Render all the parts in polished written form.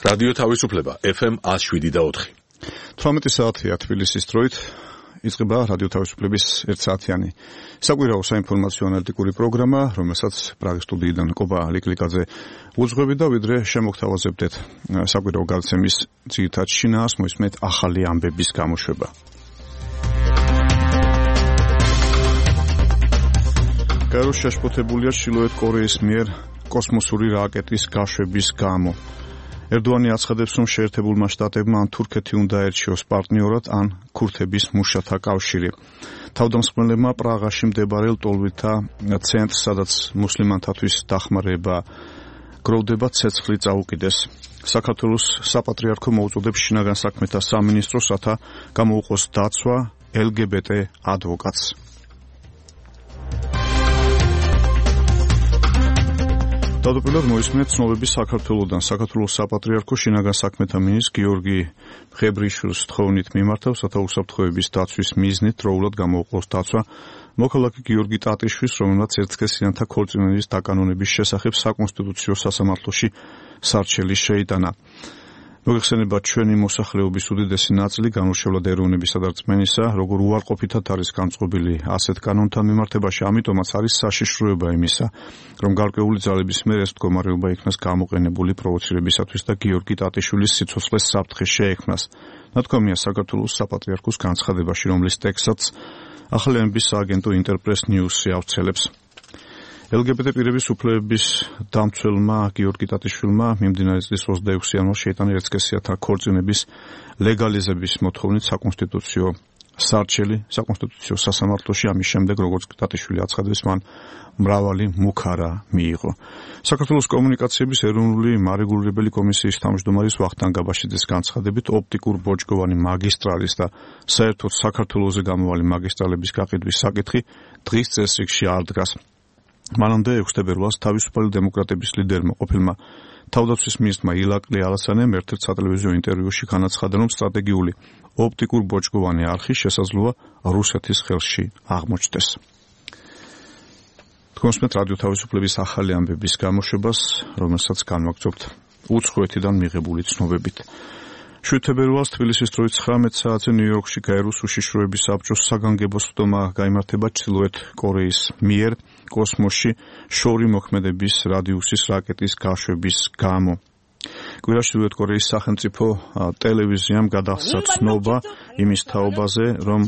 რადიო თავისუფლება FM 107.4. 18 საათია თბილისის დროით იწყება რადიო თავისუფლების 1 საათიანი საკვირაო საინფორმაციო ანალიტიკური პროგრამა, რომელსაც პრაღის სტუდიიდან კობა ლიკლიკაძე უძღვები და ვიდრე შემოგთავაზებდეთ საკვირაო გადაცემის ძირითად შინაარს, მოისმენთ ახალი ამბების გამოშვება. გაეროში შეშფოთებულია ჩრდილოეთ კორეის მიერ კოსმოსური რაკეტის გაშვების გამო. ერდოანი აცხადებს, რომ შეერთებულმა შტატებმა ან თურქეთი უნდა ერჩიოს პარტნიორად, ან ქურთების მუშათა კავშირი. თავდამსხმელებმა პრაღაში მდებარე ლტოლვილთა ცენტრს, სადაც მუსლიმანთათვის დახმარება გროვდება, ცეცხლი წაუკიდეს. საქართველოს საპატრიარქო მოუწოდებს შინაგან საქმეთა სამინისტროს, რათა გამოუყოს დაცვა LGBT ადვოკატს. თავდაპირველად მოისმენთ ცნობები საქართველოდან. საქართველოს საპატრიარქო შინაგან საქმეთა მინისტრ გიორგი ხებრიშვილს თხოვნით მიმართავს, რათა უსაფრთხოების დაცვის მიზნით დროულად გამოუყოს დაცვა მოქალაქე გიორგი ტატიშვილს, რომელმაც ერთსქესიანთა ქორწინების დაკანონების შესახებ საკონსტიტუციო სასამართლოში სარჩელი შეიტანა. მოგეხსენებათ, ჩვენი მოსახლეობის უდიდესი ნაწილი განურჩევლად ეროვნებისა და რწმენისა, როგორ უარყოფითად არის განწყობილი ასეთ კანონთან მიმართებაში, ამიტომაც არის საშიშროება იმისა, რომ გარკვეული ძალების მიერ ეს მდგომარეობა იქნას გამოყენებული პროვოცირებისათვის და გიორგი ტატიშვილის სიცოცხლეს საფრთხე შეექმნას. ნათქვამია საქართველოს საპატრიარქოს განცხადებაში, რომლის ტექსტსაც ახალი ამბების სააგენტო ინტერპრეს ნიუსი ავრცელებს. LGBT პირების უფლებების დამცველმა გიორგი ტატიშვილმა მიმდინარე წლის 26 იანვარს შეიტანა ერთსქესიანთა ქორწინების ლეგალიზების მოთხოვნით საკონსტიტუციო სარჩელი საკონსტიტუციო სასამართლოში. ამის შემდეგ, როგორც ტატიშვილი აცხადებს, მან მრავალი მუქარა მიიღო. საქართველოს კომუნიკაციების ეროვნული მარეგულირებელი კომისიის თავმჯდომარის ვახტანგ აბაშიძის განცხადებით, ოპტიკურ ბოჭკოვანი მაგისტრალის და საერთოდ საქართველოზე გამოვალი მაგისტრალების გაყიდვის საკითხი დღის წესრიგში არ დგას. მანამდე 6 თებერვალს თავისუფალი დემოკრატების ლიდერმა ყოფილმა თავდაცვის მინისტრმა ილაკლი ალასანემ ერთ-ერთ სატელევიზიო ინტერვიუში განაცხადა, რომ სტრატეგიული ოპტიკურ ბოჭკოვანი არხი შესაძლოა რუსეთის ხელში აღმოჩნდეს. თქვენსმენთ რადიო თავისუფლების ახალი ამბების გამოშვებას, რომელსაც განვაგრძობთ უცხოეთიდან მიღებული ცნობებით. 7 თებერვალს თბილისის დროით 19 საათზე ნიუ-იორკში გაეროს უშიშროების საბჭოს საგანგებო სხდომა გაიმართება ჩრდილოეთ კორეის მიერ კოსმოსში შორი მოქმედების რადიუსის რაკეტის გაშვების გამო. კვირაში ჩრდილოეთ კორეის სახელმწიფო ტელევიზიამ გადაასცა ცნობა იმის თაობაზე, რომ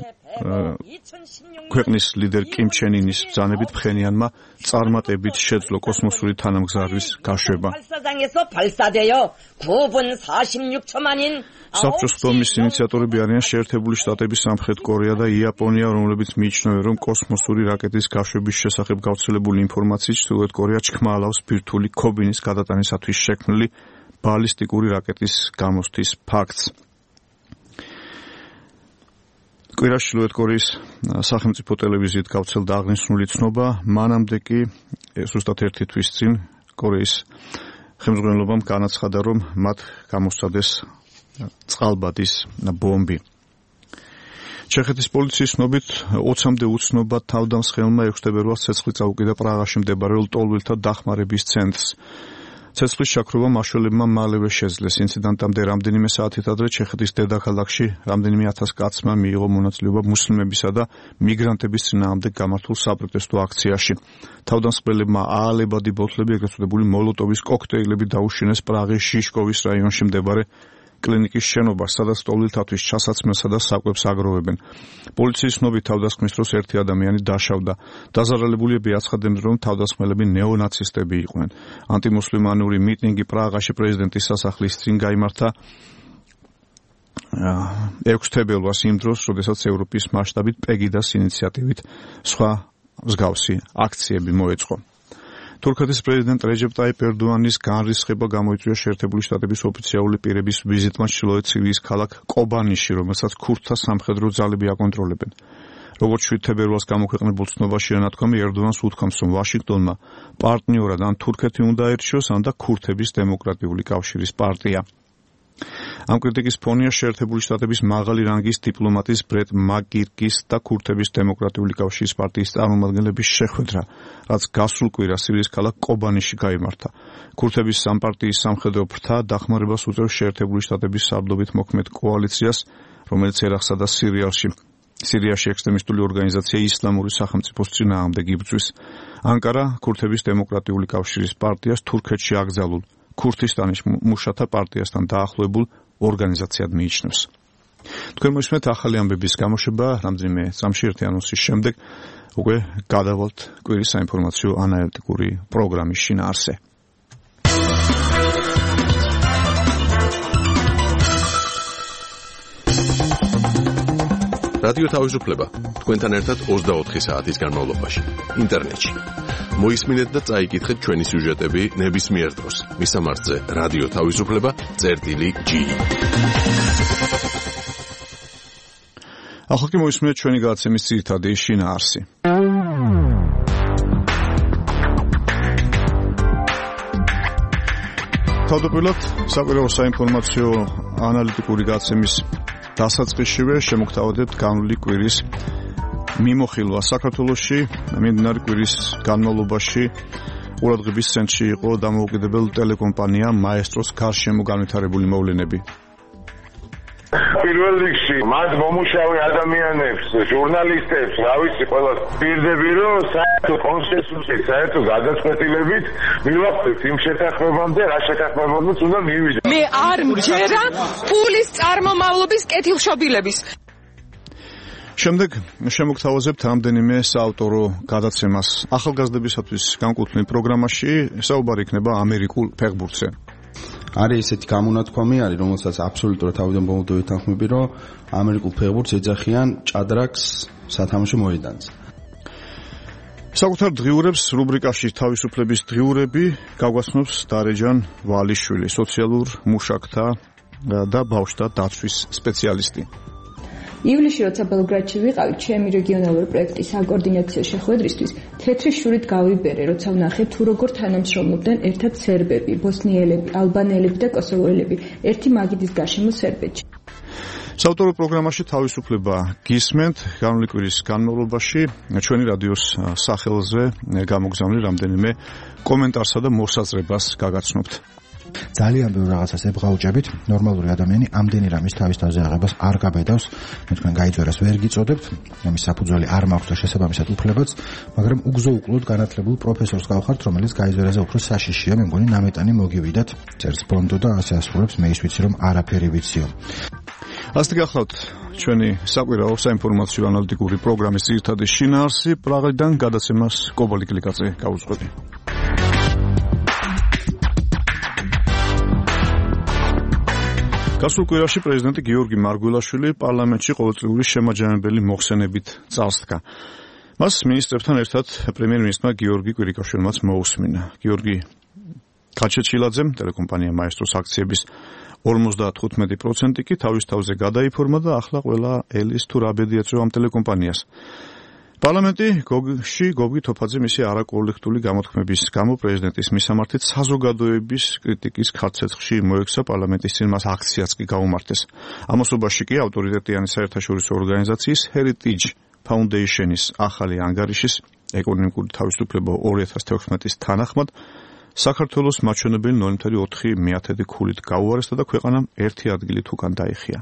ქვეყნის ლიდერ კიმ ჩენ ინის ბრძანებით ფხენიანმა წარმატებით შეძლო კოსმოსური თანამგზავრის გაშვება. საბჭოს სხდომის ინიციატორები არიან შეერთებული შტატები, სამხრეთ კორეა და იაპონია, რომლებიც მიიჩნევენ, რომ კოსმოსური რაკეტის გაშვების შესახებ გავრცელებული ინფორმაციით ჩრდილოეთ კორეა ჩქმალავს ბირთვული ქობინის გადატანისათვის შექმნილი ბალისტიკური რაკეტის გამოსთვის ფაქტს. კვირაში ჩრდილოეთ კორეის სახელმწიფო ტელევიზიით გავრცელდა აღნიშნული ცნობა, მანამდე კი ზუსტად ერთი თვის წინ კორეის ხელმძღვანელობამ განაცხადა, რომ მათ გამოსცადეს წყალბადის ბომბი. ჩეხეთის პოლიციის ცნობით 20-მდე უცნობა თავდამსხმელმა 6 თებერვალს ცეცხლი წაუკიდა პრაღაში მდებარე ლტოლვილთა დახმარების ცენტრს. ცეცხლის შაქრობა მაშველებმა მალევე შეძლეს. ინციდენტამდე რამდენიმე საათით ადრე ჩეხეთის დედაქალაქში რამდენიმე 1000 კაცმა მიიღო მონაწილეობა მუსლიმებისა და მიგრანტების წინააღმდეგ გამართულ საპროტესტო აქციაში. თავდამსხმელებმა აალებადი ბოთლები, ეგრეთ წოდებული მოლოტოვის კოქტეილები დაუშინეს პრაღის შიშკოვის რაიონში მდებარე კლინიკის შენობას, სადაც ლტოლვილთათვის ჩასაცმელსა და საკვებს აგროვებენ. პოლიციის ცნობით თავდასხმის დროს ერთი ადამიანი დაშავდა. დაზარალებულები აცხადებენ, რომ თავდასხმელები ნეონაცისტები იყვნენ. ანტიმუსლიმანური მიტინგი პრაღაში პრეზიდენტის სასახლის წინ გაიმართა 6 თებერვალს იმ დროს, როდესაც ევროპის მასშტაბით პეგიდას ინიციატივით სხვა მსგავსი აქციები მოეწყო. თურქეთის პრეზიდენტ რეჯეპ ტაიპ ერდოანის განრისხება გამოიწვია შეერთებული შტატების ოფიციალური პირების ვიზიტმა ჩრდილოეთ სირიის ქალაქ კობანიში, რომელსაც ქურთთა სამხედრო ძალები აკონტროლებენ. როგორც 7 თებერვალს გამოქვეყნებულ ცნობაში ანათქვამი ერდოანს უთქვამს, რომ ვაშინგტონმა პარტნიორად ან თურქეთი უნდა ერჩიოს, ან და ქურთების დემოკრატიული კავშირის პარტია. ამ კრიტიკის ფონია შეერთებული შტატების მაღალი რანგის დიპლომატის ბრეტ მაკგირკის და ქურთების დემოკრატიული კავშირის პარტიის წარმომადგენლების შეხვედრა, რაც გასულ კვირას სირიის ქალაქ კობანიში გაიმართა. ქურთების სამპარტიის სამხედრო ფრთა დახმარებას უწევს შეერთებული შტატების სარდლობით მოქმედ კოალიციას, რომელიც ერაყსა და სირიაში ექსტრემისტული ორგანიზაცია ისლამური სახელმწიფოს წინააღმდეგ იბრძვის. ანკარა ქურთების დემოკრატიული კავშირის პარტიას თურქეთში აკრძალულ ქურთისტანის მუშათა პარტიასთან დაახლოებულ ორგანიზაციად მიიჩნევს. თქვენ მოისმენთ ახალი ამბების გამოშვება რამდენიმე წამში ერთი ანონსის შემდეგ უკვე გადავალთ კვირის საინფორმაციო ანალიტიკური პროგრამის შინაარსზე. რადიო თავისუფლება თქვენთან ერთად 24 საათის განმავლობაში ინტერნეტში. მოისმინეთ და წაიკითხეთ ჩვენი სიუჟეტები ნებისმიერ დროს. მისამართზე რადიო თავისუფლება.gi. ახლა კი მოისმინეთ ჩვენი გადაცემის ძირითადი შინაარსი. თავდაპირველად საკვირაო საინფორმაციო ანალიტიკური გადაცემის დასაწყისშივე შემოგთავაზებთ განვლილი კვირის მიმოხილვა საქართველოში. მიმდინარე კვირის განმავლობაში ყურადღების ცენტრში იყო დამოუკიდებელ ტელეკომპანია მაესტროს გარშემო განვითარებული მოვლენები. პირველ რიგში მათ მომუშავე ადამიანებს, ჟურნალისტებს, რა ვიცი, ყველას პირდები, რომ საერთო კონსენსუსით, საერთო გადაწყვეტილებით მივახდეთ იმ შეთანხმებამდე, რა შეთანხმებამდე უნდა მივიდეთ. მე არ მჯერა ფულის წარმომავლობის კეთილშობილების. შემდეგ შემოგთავაზებთ რამდენიმე საავტორო გადაცემას. ახალგაზრდებისათვის განკუთვნილ პროგრამაში საუბარი იქნება ამერიკულ ფეხბურთზე. არის ესეთი გამონათქვამი არის, რომელსაც აბსოლუტურად თავიდან ბოლომდე ვეთანხმები, რომ ამერიკულ ფეხბურთს ეძახიან ჭადრაკს სათამაშო მოედანზე. საკუთარ დღიურებს რუბრიკაში თავისუფლების დღიურები გაგვაცნობს დარეჯან ვალიშვილი, სოციალურ მუშაკთა და ბავშვთა დაცვის სპეციალისტი. ივლისში როცა ბელგრადში ვიყავით, ჩემი რეგიონალური პროექტის საკოორდინაციო შეხვედრისთვის თეთრი შურით გავიბერე, როცა ვნახე თუ როგორ თანამშრომლობდნენ ერთად სერბები, ბოსნიელები, ალბანელები და კოსოვოელები ერთი მაგიდის გარშემო სერბეთში. საავტორო პროგრამაში თავისუფლება გისმენთ. განვლილი კვირის განმავლობაში ჩვენი რადიოს სახელზე გამოგზავნილი რამდენიმე კომენტარსა და მოსაზრებას გაგაცნობთ. ძალიან ბევრ რაღაცას ებღაუჭებით, ნორმალური ადამიანი ამდენი რამის თავის თავზე აღებას არ გაბედავს, მე თქვენ გაიძვერას ვერ გიწოდებთ, ამის საფუძველი არ მაქვს და შესაბამისად უფლებაც, მაგრამ უგზო-უკლოდ განათლებულ პროფესორს გავხართ, რომელიც გაიძვერაზე უფრო საშიშია, მე მგონი ნამეტანი მოგივიდათ, წერს ბონდო და ასე ასრულებს, მე ის ვიცი რომ არაფერი ვიციო. ასეთი გახლავთ ჩვენი საკვირაო საინფორმაციო ანალიტიკური პროგრამის ძირითადი შინაარსი. პრაღიდან გადაცემას კობალი კლიკაძე გაუძღვები. გასულ კვირაში პრეზიდენტი გიორგი მარგველაშვილი პარლამენტში ყოველწლიური შემაჯამებელი მოხსენებით წარსდგა. მას მინისტრებთან ერთად პრემიერ-მინისტრმა გიორგი კვირიკაშვილმაც მოусმინა. გიორგი კაჩეჩილაძემ ტელეკომპანია მაესტროს აქციების 55% კი თავის თავზე გადაიფორმა და ახლა ყველა ელის თუ რა ბედი ეწევა ამ ტელეკომპანიას. პარლამენტი გოგი თოფაძე მისი არაკოლექტიული გამოთქმების გამო პრეზიდენტის მისამართით საზოგადოების კრიტიკის ხარცეცხში მოექცა, პარლამენტის წინ მას აქციაც კი გაუმართეს. ამასობაში კი ავტორიტეტიანი საერთაშორისო ორგანიზაციის Heritage Foundation-ის ახალი ანგარიშის ეკონომიკური თავისუფლება 2016-ის თანახმად საქართველოს მაჩვენებელი 0.4 ქულით გაუარესდა და ქვეყანამ ერთი ადგილით უკან დაიხია.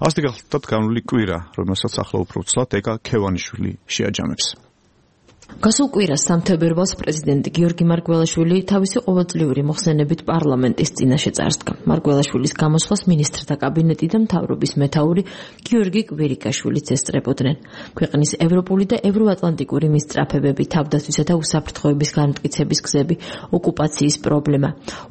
ასეთი გახლავთ განვლილი კვირა, რომელსაც ახლა უფრო ცლად ეკა ქევანიშვილი შეაჯამებს. გასულ კვირას სამთებერვალს პრეზიდენტი გიორგი მარგველაშვილი თავისი ყოველწლიური მოხსენებით პარლამენტის წინაშე წარსდგა. მარგველაშვილის გამოსვლას მინისტრთა კაბინეტი და მთავრობის მეთაური გიორგი კვირიკაშვილიც ესწრებოდნენ. ქვეყნის ევროპული და ევროატლანტიკური მისწრაფებები, თავდაცვისა და უსაფრთხოების განმტკიცების გზები, ოკუპაციის პრობლემა,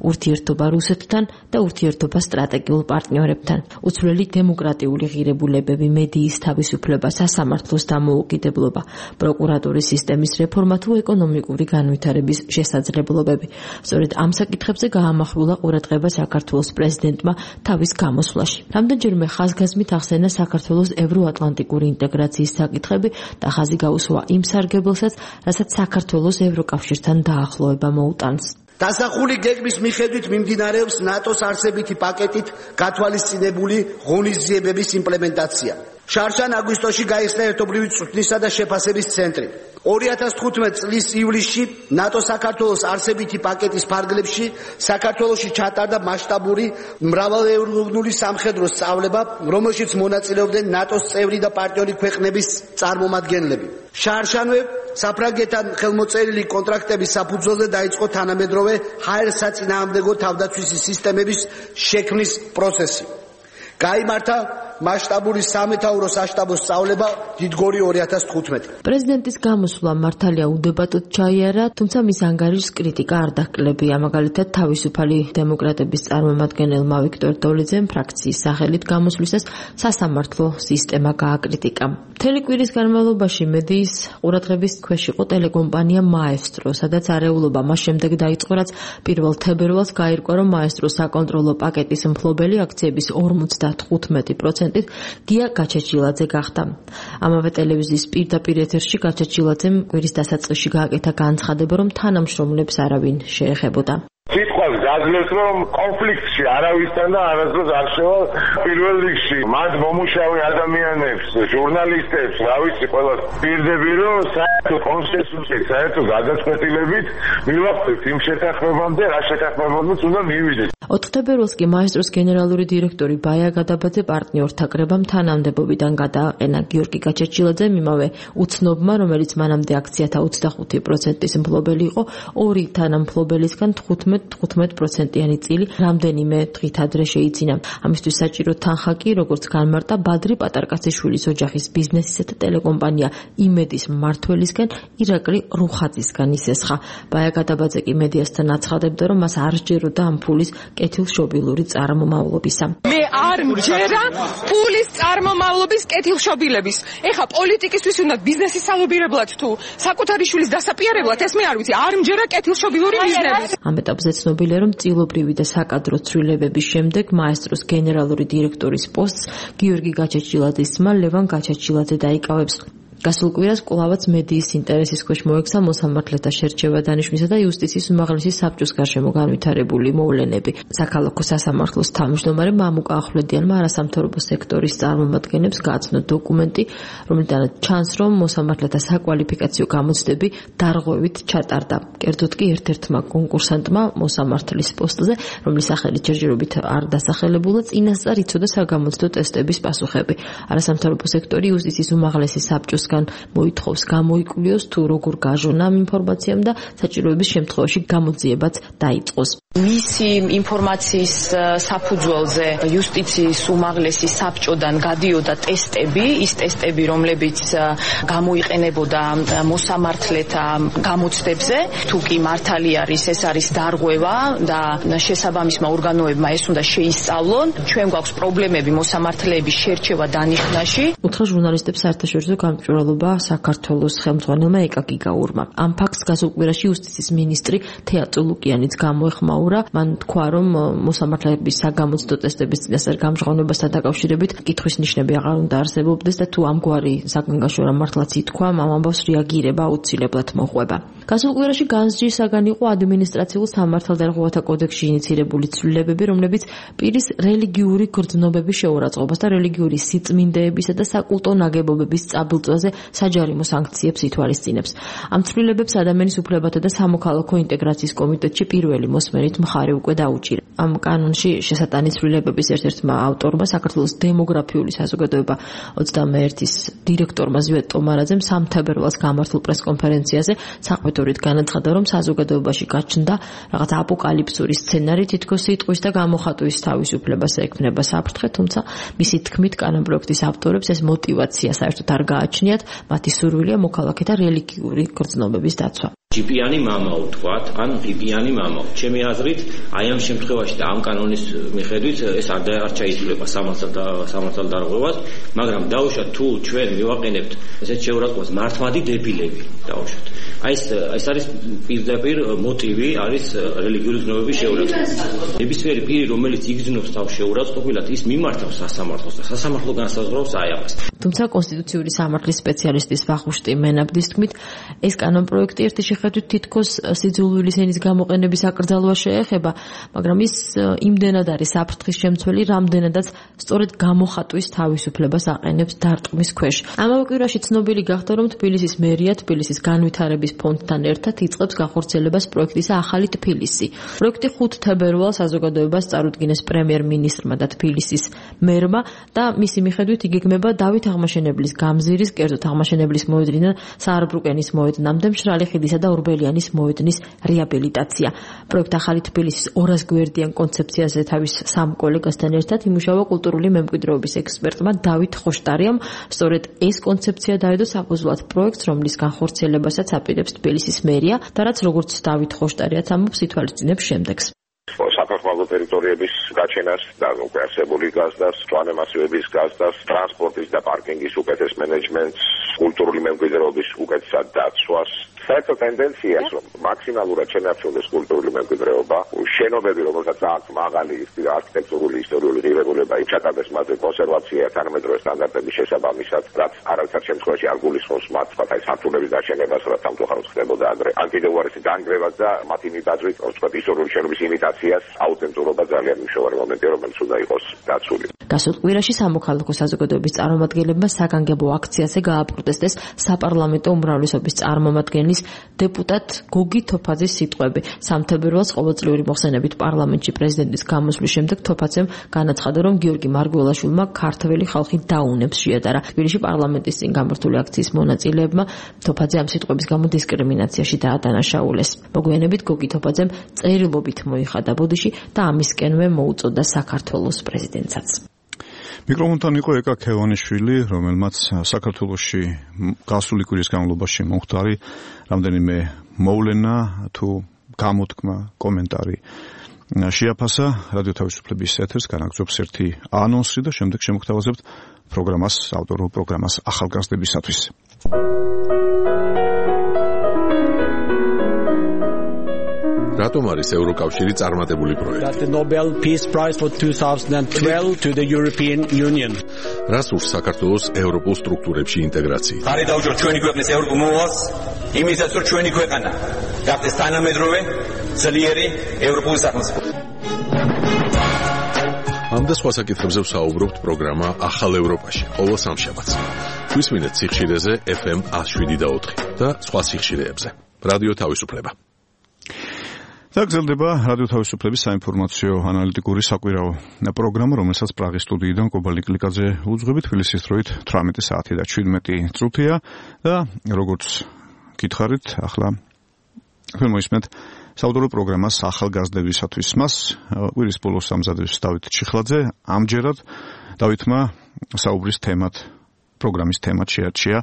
ურთიერთობა რუსეთთან და ურთიერთობა სტრატეგიულ პარტნიორებთან, უცვლელი დემოკრატიული ღირებულებები, მედიის თავისუფლება, სასამართლოს დამოუკიდებლობა, პროკურატურის სისტემის რეფორმა თუ ეკონომიკური განვითარების შესაძლებლობები. სწორედ ამ საკითხებზე გაამახვილა ყურადღება საქართველოს პრეზიდენტმა თავის გამოსვლაში. რამდენჯერმე ხაზგასმით ახსენა საქართველოს ევროატლანტიკური ინტეგრაციის საკითხები და ხაზი გაუსვა იმ სარგებელსაც, რასაც საქართველოს ევროკავშირთან დაახლოება მოუტანს. დასახული გეგმის მიხედვით მიმდინარეობს ნატოს არსებითი პაკეტით გათვალისწინებული ღონისძიებების იმპლემენტაცია. შარშან აგვისტოში გაიხსნა ერთობლივი წვრთნისა და შეფასების ცენტრი. 2015 წლის ივლისში ნატო საქართველოს არსებითი პაკეტის ფარგლებში საქართველოში ჩატარდა მასშტაბური მრავალეუროვნული სამხედრო სწავლება, რომელშიც მონაწილეობდნენ ნატოს წევრი და პარტნიორი ქვეყნების წარმომადგენლები. შარშანვე საფრანგეთთან ხელმოწერილი კონტრაქტების საფუძველზე დაიწყო თანამედროვე ჰაერსაწინააღმდეგო თავდაცვის სისტემების შექმნის პროცესი. გაიმართა მასშტაბური სამეთაურო საშტაბო სწავლება დიდგორი 2015. პრეზიდენტის გამოსვლა მართალია უდებატოდ ჩაიარა, თუმცა მის ანგარიშს კრიტიკა არ დაჰკლებია. მაგალითად, თავისუფალი დემოკრატების წარმომადგენელმა ვიქტორ დოლიძემ ფრაქციის სახელით გამოსვლისას სასამართლო სისტემა გააკრიტიკა. მთელი კვირის განმავლობაში მედიის ყურადღების ქვეშ იყო ტელეკომპანია მაესტრო, სადაც არეულობა მას შემდეგ დაიწყო, რაც 1 თებერვალს გაირკვა, რომ მაესტროს საკონტროლო პაკეტის მფლობელი აქციების 55% გია გაჩეჩილაძე გახდა. ამავე ტელევიზიის პირდაპირ ეთერში გაჩეჩილაძემ კვირის დასაწყისში გააკეთა განცხადება, რომ თანამშრომლებს არავინ შეეხებოდა. სიტყვას გაძლევს, რომ კონფლიქტში არავისთან და არასდროს არ შევალ პირველ რიგში. მათ მომუშავე ადამიანებს, ჟურნალისტებს, რა ვიცი, ყველას პირდები, რომ საერთო კონსენსუსით, საერთო გადაწყვეტილებით მივახცევთ იმ შეთანხმებამდე, რა შეთანხმებამდეც უნდა მივიდეთ. 4 თებერვალს კი მაესტროს გენერალური დირექტორი ბაია გადაბაძე პარტნიორთა კრებამ თანამდებობიდან გადააყენა. გიორგი გაჩეჩილაძემ იმავე უცნობმა, რომელიც მანამდე აქციათა 25%-ის მფლობელი იყო, ორი თანამფლობელისგან 15%-იანი წილი რამდენიმე დღით ადრე შეიძინა. ამისთვის საჭირო თანხა კი, როგორც განმარტა, ბადრი პატარკაციშვილის ოჯახის ბიზნესისა და ტელეკომპანია იმედის მმართველისგან ირაკლი რუხაძისგან ისესხა. ბაია გადაბაძე კი მედიასთან აცხადებდა, რომ მას არ სჯეროდა ამ ფულის კეთილშობილური წარმომავლობისა. მე არ მჯერა ფულის წარმომავლობის კეთილშობილების. ეხა პოლიტიკისთვის უნდა ბიზნესის სალობირებლად თუ საკუთარი შვილის დასაპიარებლად, ეს მე არ ვიცი, არ მჯერა კეთილშობილური ბიზნესი. ამ ეტაპზე ცნობილია, რომ წილობრივი და საკადრო ცვლილებების შემდეგ მაესტროს გენერალური დირექტორის პოსტს გიორგი გაჩეჩილაძის ძმა ლევან გაჩეჩილაძე დაიკავებს. გასულ კვირას კვლავაც მედიის ინტერესის ქვეშ მოექცა მოსამართლეთა შერჩევა დანიშვნისა და იუსტიციის უმაღლესი საბჭოს გარშემო განვითარებული მოვლენები. საქალაქო სასამართლოს თავმჯდომარე მამუკა ახვლედიანმა არასამთავრობო სექტორის წარმომადგენლებს გააცნო დოკუმენტი, რომელთანაც ჩანს, რომ მოსამართლეთა საკვალიფიკაციო გამოცდები დარღვევით ჩატარდა. კერძოდ კი ერთ-ერთმა კონკურსანტმა მოსამართლის პოსტზე, რომლის სახელი ჯერჯერობით არ დასახელებულა, წინასწარ იცოდა საგამოცდო ტესტების პასუხები. არასამთავრობო სექტორი იუსტიციის უმაღლესი საბჭოს მოითხოვს გამოიკლიოს თუ როგორ გაჟონა ამ ინფორმაციამ და საჭიროების შემთხვევაში გამოძიებაც დაიწყოს. მისი ინფორმაციის საფუძველზე იუსტიციის უმაღლესი საბჭოდან გადიოდა ტესტები, ის ტესტები, რომლებიც გამოიყენებოდა მოსამართლეთა გამოცდებზე, თუ კი მართალი არის, ეს არის დარღვევა და შესაბამისმა ორგანოებმა ეს უნდა შეისწავლონ. ჩვენ გვაქვს პრობლემები მოსამართლეების შერჩევა დანიშვნაში. უთხრა ჟურნალისტებს საერთაშორისო გამჭვირვალობა საქართველოს ხელმძღვანელმა ეკა გიგაურმა. ამ ფაქტს გასულ კვირაში იუსტიციის მინისტრი თეა წულუკიანიც გამოეხმაურა. მან თქვა, რომ მოსამართლეების საგამოცდო ტესტების წინასწარ გამჟღავნებასთან დაკავშირებით კითხვის ნიშნები აღარ უნდა არსებობდეს და თუ ამგვარი საგანგაშო მართლაც ითქვა, ამ ამბავს რეაგირება აუცილებლად მოყვება. გასულ კვირაში განსჯისაგან იყო ადმინისტრაციულ სამართალდარღვევათა კოდექსში ინიცირებული ცვლილებები, რომლებიც პირის რელიგიური გრძნობების შეურაცხყოფას და რელიგიური სიწმინდეებისა და საკულტო ნაგებობების წაბილწვაზე საჯარიმო სანქციებს ითვალისწინებს. ამ ცვლილებებს ადამიანის უფლებათა და სამოქალაქო ინტეგრაციის კომიტეტში პირველი მოსმენით მხარი უკვე დაუჭირა. ამ კანონში შესატანი ცვლილებების ერთ-ერთმა ავტორმა საქართველოს დემოგრაფიული საზოგადოება 21-ის დირექტორმა ზვიად ტომარაძემ 3 თებერვალს გამართულ პრესკონფერენციაზე საყმედორით განაცხადა, რომ საზოგადოებაში გაჩნდა რაღაც აპოკალიფსური სცენარი, თითქოს სიტყვის და გამოხატვის თავისუფლებას ექმნება საფრთხე, თუმცა მისი თქმით კანონპროექტის ავტორებს ეს მოტივაცია საერთოდ არ გააჩნიათ, მათი სურვილია მოქალაქეთა რელიგიური გრძნობების დაცვა. ჯიპიანი მამაო თქვათ, ან პიპიანი მამაო. ჩემი აზრით, აი ამ შემთხვევაში და ამ კანონის მიხედვით ეს არ ჩაითვლება სამართალდარღვევას, მაგრამ დაუშვათ თუ ჩვენ მივაყენებთ ესეთ შეურაცხყოფას მართმადი დებილები, დაუშვათ. აი ეს არის პირდაპირ მოტივი არის რელიგიური გრძნობების შეურაცხყოფა. ნებისმიერი პირი, რომელიც იგრძნობს თავს შეურაცხყოფილად, ის მიმართავს სასამართლოს და სასამართლო განსაზღვრავს აი ამას. თუმცა კონსტიტუციური სამართლის სპეციალისტის ვახუშტი მენაბდის თქმით, ეს კანონპროექტი ერთი შეხედვით თითქოს სიძულვილის ენის გამოყენების აკრძალვა შეეხება, მაგრამ ის იმდენად არის საფრთხის შემცველი, რამდენადაც სწორედ გამოხატვის თავისუფლებას აყენებს დარტყმის ქვეშ. ამავე კვირაში ცნობილი გახდა, რომ თბილისის მერია თბილისის განვითარების ფონდთან ერთად იწყებს განხორციელებას პროექტის ახალი თბილისი. პროექტი 5 თებერვალს საზოგადოებას წარუდგინეს პრემიერ-მინისტრმა და თბილისის მერმა და მისი მიხედვით იგეგმება დავით აღმაშენებლის გამზირის, კერძოდ აღმაშენებლის მოედნიდან საარბრუკენის მოედნამდე მშრალი ხიდისა და ორბელიანის მოედნის რეაბილიტაცია. პროექტ ახალი თბილისის 200 გვერდიან კონცეფციაზე თავის სამ კოლეგასთან ერთად იმუშავა კულტურული მემკვიდრეობის ექსპერტმა დავით ხოშტარიამ. სწორედ ეს კონცეფცია დაედო საფუძვლად პროექტს, რომლის განხორციელებასაც აპირებს თბილისის მერია და რაც როგორც დავით ხოშტარიაც ამბობს, ითვალისწინებს შემდეგს. საქართველოს ტერიტორიების გაჩენას და უკვე არსებული გაზდას, პლანემასივების გაზდას, ტრანსპორტის და პარკინგის უკეთეს მენეჯმენტს, კულტურული მემკვიდრეობის უკეთესად დაცვას. საერთო ტენდენცია ის, რომ მაქსიმალურად შენარჩუნდეს კულტურული მემკვიდრეობა, შენობები, რომელსაც აქვს მაღალი არქიტექტურული ისტორიული ღირებულება, ჩატარდეს მათზე კონსერვაცია თანამედროვე სტანდარტების შესაბამისად, რაც არაერთად შემთხვევაში არ გულისხმობს მათ აი სართულების დაშენებას, რაც სამწუხაროდ ხდებოდა ადრე. ან კიდევ უარესი დანგრევას და მათი მიტაძვით, ვთქვათ, ისტორიული შენობის იმიტაციას, აუთენტურობა ძალიან მნიშვნელოვანი მომენტია, რომელიც უნდა იყოს დაცული. გასულ კვირაში სამოქალაქო საზოგადოების წარმომადგენლებმა საგანგებო აქციაზე გააპროტესტეს საპარლამენტო უმრავლესობის წარმომადგენლის დეპუტატ გოგი თოფაძის სიტყვები. 3 თებერვალს ყოველწლიური მოხსენებით პარლამენტში პრეზიდენტის გამოსვლის შემდეგ თოფაძემ განაცხადა, რომ გიორგი მარგველაშვილმა ქართველი ხალხი დაუნებს შეადარა. თბილისში პარლამენტის წინ გამართული აქციის მონაწილეებმა თოფაძე ამ სიტყვების გამო დისკრიმინაციაში დაადანაშაულეს. მოგვიანებით გოგი თოფაძემ წერილობით მოიხადა ბოდიში და ამისკენვე მოუწოდა საქართველოს პრეზიდენტსაც. მიკროფონთან იყო ეკა ქევანიშვილი, რომელმაც საქართველოში გასული კვირის განმავლობაში მომხდარი რამდენიმე მოვლენა თუ გამოთქმა, კომენტარი შეაფასა. რადიო თავისუფლების ეთერს განაგრძობს ერთი ანონსი და შემდეგ შემოგთავაზებთ პროგრამას, ავტორულ პროგრამას ახალგაზრდებისათვის. რატომ არის ევროკავშირი წარმატებული პროექტი? The Nobel Peace Prize for 2012 to the European Union. რას ურს საქართველოს ევროპულ სტრუქტურებში ინტეგრაცია? ხარი დაუჭიროთ ჩვენი ქვეყნის ევროპულ მოვალს, იმისაც რომ ჩვენი ქვეყანა გახდეს თანამედროვე, ძლიერი ევროპული სახელმწიფო. ამ და სხვა საკითხებზე ვსაუბრობთ პროგრამა ახალ ევროპაში, ყოველ სამშაბათს. გვისმინეთ სიხშირეზე FM 107.4 და სხვა სიხშირეებზე. რადიო თავისუფლება. გრძელდება რადიო თავისუფლების საინფორმაციო ანალიტიკური საკვირაო პროგრამა, რომელსაც პრაღის სტუდიიდან კობალნი კლიკაძე უძღვებით. თბილისის დროით 18 საათი და 17 წუთია და როგორც გითხარით, ახლა თქვენ მოისმენთ საავტორო პროგრამას ახალგაზრდებისათვის. მას კვირის ბოლოს ამზადებს დავით ჩიხლაძე. ამჯერად დავითმა საუბრის თემად, პროგრამის თემად შეარჩია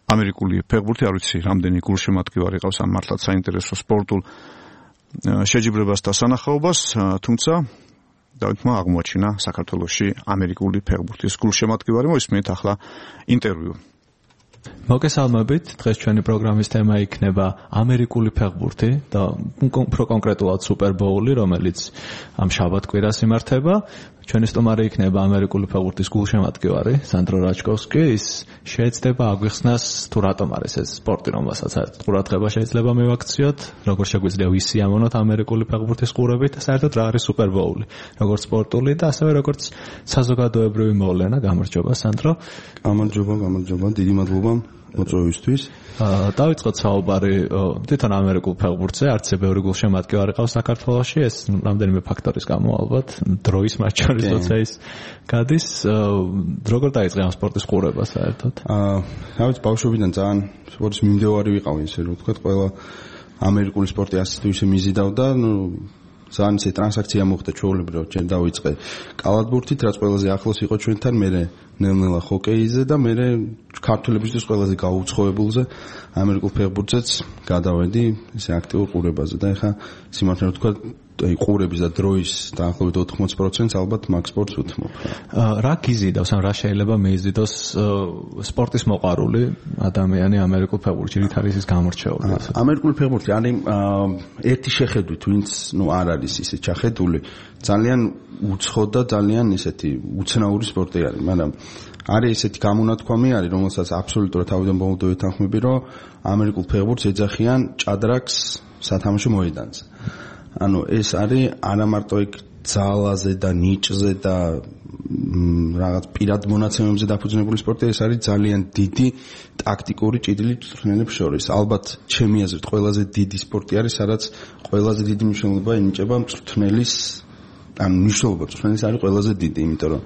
ამერიკული ფეხბურთი. არ ვიცი, რამდენი გულშემატკივარი ყავს ამ მართლაც საინტერესო სპორტულ შეჯიბრებას და სანახაობას, თუმცა დავითმა აღმოაჩინა საქართველოში ამერიკული ფეხბურთის გულშემატკივარი. მოისმენთ ახლა ინტერვიუ. მოგესალმებით. დღეს ჩვენი პროგრამის თემა იქნება ამერიკული ფეხბურთი და უფრო კონკრეტულად სუპერბოული, რომელიც ამ შაბათ-კვირას იმართება. ჩვენი სტუმარი იქნება ამერიკული ფეხბურთის გულშემატკივარი სანდრო რაჩკოვსკი. ის შეეცდება აგვიხსნას თუ რატომ არის ეს სპორტი, რომელსაც ყურადღება შეიძლება მივაქციოთ, როგორ შეგვიძლია ვისიამოვნოთ ამერიკული ფეხბურთის ყურებით და საერთოდ რა არის სუპერბოული, როგორც სპორტული და ასევე როგორც საზოგადოებრივი მოვლენა. გამარჯობა სანდრო. გამარჯობა, დიდი მადლობა მოწვევისთვის. დავიწყოთ საუბარი თვითონ ამერიკულ ფეხბურთზე. არც ბევრი გულშემატკივარი ყავს საქართველოში, ეს რამდენიმე ფაქტორის გამო ალბათ, დროის მათ შორის როცა ის გადის. როგორ დაიწყე ამ სპორტის ყურება საერთოდ? რა ვიცი, ბავშვობიდან ძალიან სპორტის მიმდევარი ვიყავი, ესე რომ ვთქვათ, ყველა ამერიკული სპორტი ასე თუ ისე მიზიდავდა, ძალიან ისე ტრანზაქცია მოხდა ჩვეულებრივად, ჯერ დავიწყე კალათბურთით, რაც ყველაზე ახლოს იყო ჩვენთან, მერე ნელ-ნელა ჰოკეიზე და მერე ქართველებისთვის ყველაზე გაუცხოებულზე ამერიკულ ფეხბურთზეც გადავედი ისე აქტიურ ყურებაზე და ეხა სიმართლე რომ ვთქვა, აი ყურების და დროის დაახლოებით 80% ალბათ მაგ სპორტს უთმობ. რა გიზიდავს, ან რა შეიძლება მიიზიდოს სპორტის მოყვარული ადამიანი ამერიკულ ფეხბურთში, რით არის ის გამორჩეული? ამერიკული ფეხბურთი არის ერთი შეხედვით, ვინც არ არის ისე ჩახედული, ძალიან უცხო და ძალიან ისეთი უცნაური სპორტი არის, მაგრამ არის ესეთი გამონათქვამი არის, რომელსაც აბსოლუტურად თავიდან ბოლომდე ვეთანხმები, რომ ამერიკულ ფეხბურთს ეძახიან ჭადრაკს სათამაშო მოედანზე. ანუ ეს არის არა მარტო იქ ძალაზე და ნიჭზე და რაღაც პირად მონაცემებზე დაფუძნებული სპორტი, ეს არის ძალიან დიდი ტაქტიკური ჭიდილი მწვრთნელებს შორის. ალბათ ჩემი აზრით ყველაზე დიდი სპორტი არის, სადაც ყველაზე დიდი მნიშვნელობა ენიჭება მწვრთნელის ან მნიშვნელობა მწვრთნელის არის ყველაზე დიდი, იმიტომ რომ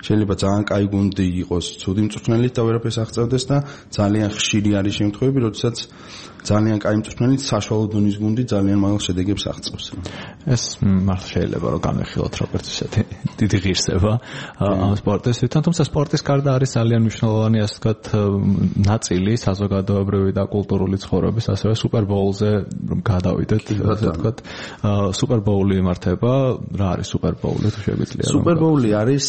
შეიძლება ძალიან კაი გუნდი იყოს ცუდი მწვრთნელით და ვერაფერს აღწევდეს და ძალიან ხშირი არის შემთხვევები, როდესაც ძალიან კაი მწვრთნელით საშუალო დონის გუნდი ძალიან მაღალ შედეგებს აღწევს. ეს მართლა შეიძლება რომ განვიხილოთ როგორც ისეთი დიდი ღირსება ამ სპორტისთან, თუმცა სპორტის გარდა არის ძალიან მნიშვნელოვანი ასე ვთქვათ ნაწილი საზოგადოებრივი და კულტურული ცხოვრების, ასევე სუპერბოულზე რომ გადავიდეთ, ასე ვთქვათ, სუპერბოული იმართება, რა არის სუპერბოული თუ შეგვიძლია? სუპერბოული არის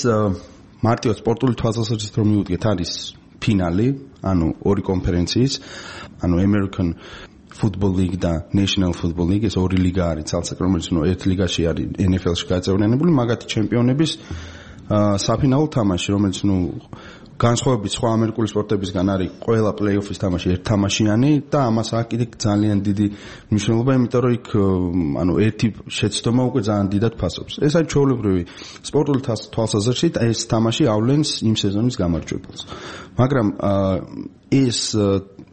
მარტივად სპორტული თვალსაზრისით რომ მივუდგეთ, არის ფინალი, ანუ ორი კონფერენციის, ანუ American Football League და National Football League, ეს ორი ლიგა არის ცალსაკ, რომელიც ერთ ლიგაში არის NFL-ში გაწევრიანებული, მაგათი ჩემპიონების საფინალო თამაში, რომელიც განსხვავებით სხვა ამერიკული სპორტებისგან არის ყველა პლეი-ოფის თამაში ერთთამაშიანი და ამას აქვს კიდე ძალიან დიდი მნიშვნელობა, იმიტომ რომ იქ ანუ ერთი შეცდომა უკვე ძალიან დიდად ფასობს. ეს არის ჩვეულებრივი სპორტული თვალსაზრისით ეს თამაში ავლენს იმ სეზონის გამარჯვებულს. მაგრამ ეს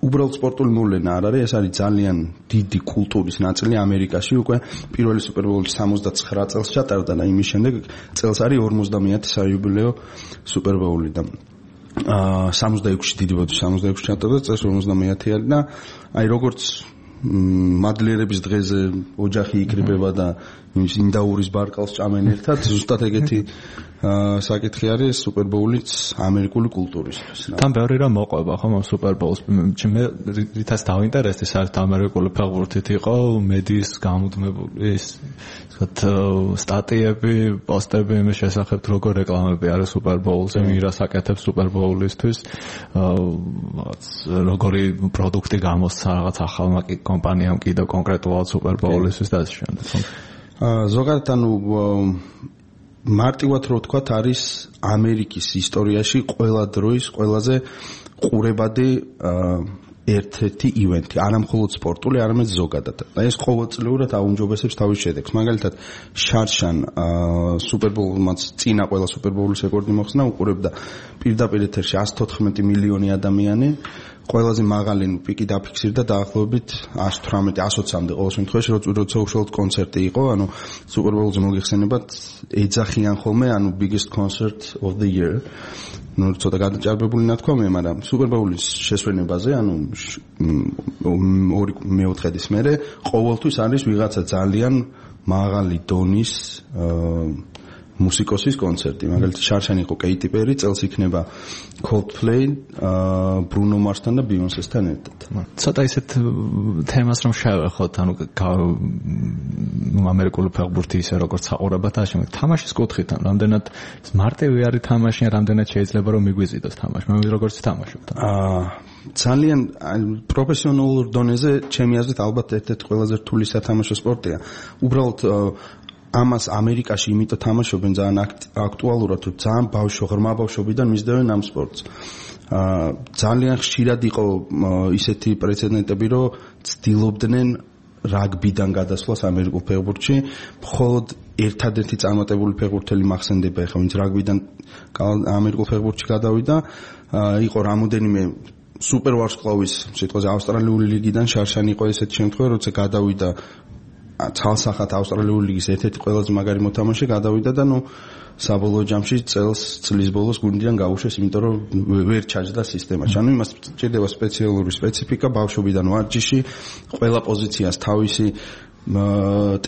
უბრალოდ სპორტული მოვლენა არ არის, ეს არის ძალიან დიდი კულტურის ნაწილი ამერიკაში. უკვე პირველი სუპერბოული 69 წელს ჩატარდა და იმის შემდეგ წელს არის 50-ე საიუბილეო სუპერბოული და 66-ში დიდი ბოდიში 66-ში ჩატარდა, წელს 50-ე არის და აი როგორც მადლიერების დღეზე ოჯახი იკრიბება და ინდაურის ბარკალს ჭამენ ერთად, ზუსტად ეგეთი საკითხი არის სუპერბოულიც ამერიკული კულტურისთვის. თან ბევრი რამ მოყვება ხომ ამ სუპერბოულს. მე რითაც დავინტერესდი საერთოდ ამერიკული ფეხბურთით იყო მედიის გამუდმებული ის ვთქვათ სტატიები, პოსტები იმის შესახებ როგორ რეკლამები არის სუპერბოულზე, ვირას აკეთებს სუპერბოულისთვის, როგორი პროდუქტი გამოსცა რაღაც ახალმა კომპანიამ კიდევ კონკრეტულად სუპერბოულისთვის და ასე შემდეგ. ზოგადად ანუ მარტივად რო ვთქვათ არის ამერიკის ისტორიაში ყველა დროის ყველაზე ყურებადი ერთ-ერთი ივენთი, არა მხოლოდ სპორტული, არამედ ზოგადად. და ეს ყოველწლიურად აუმჯობესებს თავის შედეგს. მაგალითად, შარშან სუპერბოულმაც წინა ყველა სუპერბოულის რეკორდი მოხსნა, უყურებდა პირდაპირ ეთერში 114 მილიონი ადამიანი. ყველაზე მაღალი პიკი დაფიქსირდა დაახლოებით 118-120-მდე ყოველ შემთხვევაში, როცა უშუალოდ კონცერტი იყო, ანუ სუპერბოულზე მოგეხსენებათ ეძახიან ხოლმე, ანუ biggest concert of the year. ცოტა გადაჭარბებული ნათქვამია, მაგრამ სუპერბოულის შესვენებაზე, ანუ მეოთხედის მერე ყოველთვის არის ვიღაცა ძალიან მაღალი დონის მუსიკოსის კონცერტი. მაგალითად, შარშან იყო კეიტი პერი, წელს იქნება Coldplay, Bruno Mars-თან და Beyoncé-სთან ერთად. ცოტა ისეთ თემას რომ შევეხოთ, ანუ ამერიკული ფეხბურთი ისე როგორც საყურებად აშენებთ. თამაშის კუთხით, რამდენად მარტივი არის თამაში, რამდენად შეიძლება რომ მიგვიზიდოს თამაში. მე როგორც თამაშობთ. ძალიან პროფესიონალურ დონეზე, ჩემი აზრით, ალბათ ერთ-ერთი ყველაზე რთული სათამაშო სპორტია. უბრალოდ ამას ამერიკაში იმიტომ თამაშობენ ძალიან აქტუალურად, რომ ძალიან ღრმა ბავშვობიდან მისდევენ ამ სპორტს. ძალიან ხშირად იყო ისეთი პრეცედენტები, რომ ცდილობდნენ რაგბიდან გადასვლას ამერიკულ ფეხბურთში. მხოლოდ ერთადერთი წარმატებული ფეხბურთელი მახსენდება, ეხლა ვინც რაგბიდან ამერიკულ ფეხბურთში გადავიდა, იყო რამოდენიმე სუპერვარსკვლავის, სიტყვაზე ავსტრალიული ლიგიდან შარშანი იყო ესეთი შემთხვევა, როცა გადავიდა ცალსახად ავსტრალიური ლიგის ერთ-ერთი ყველაზე მაგარი მოთამაშე გადავიდა და საბოლოო ჯამში წლის ბოლოს გუნდიდან გაუშვეს, იმიტომ რომ ვერ ჩაჯდა სისტემაში. ანუ იმას ჭირდება სპეციალური სპეციფიკა ბავშვობიდან ვარჯიში, ყველა პოზიციას თავისი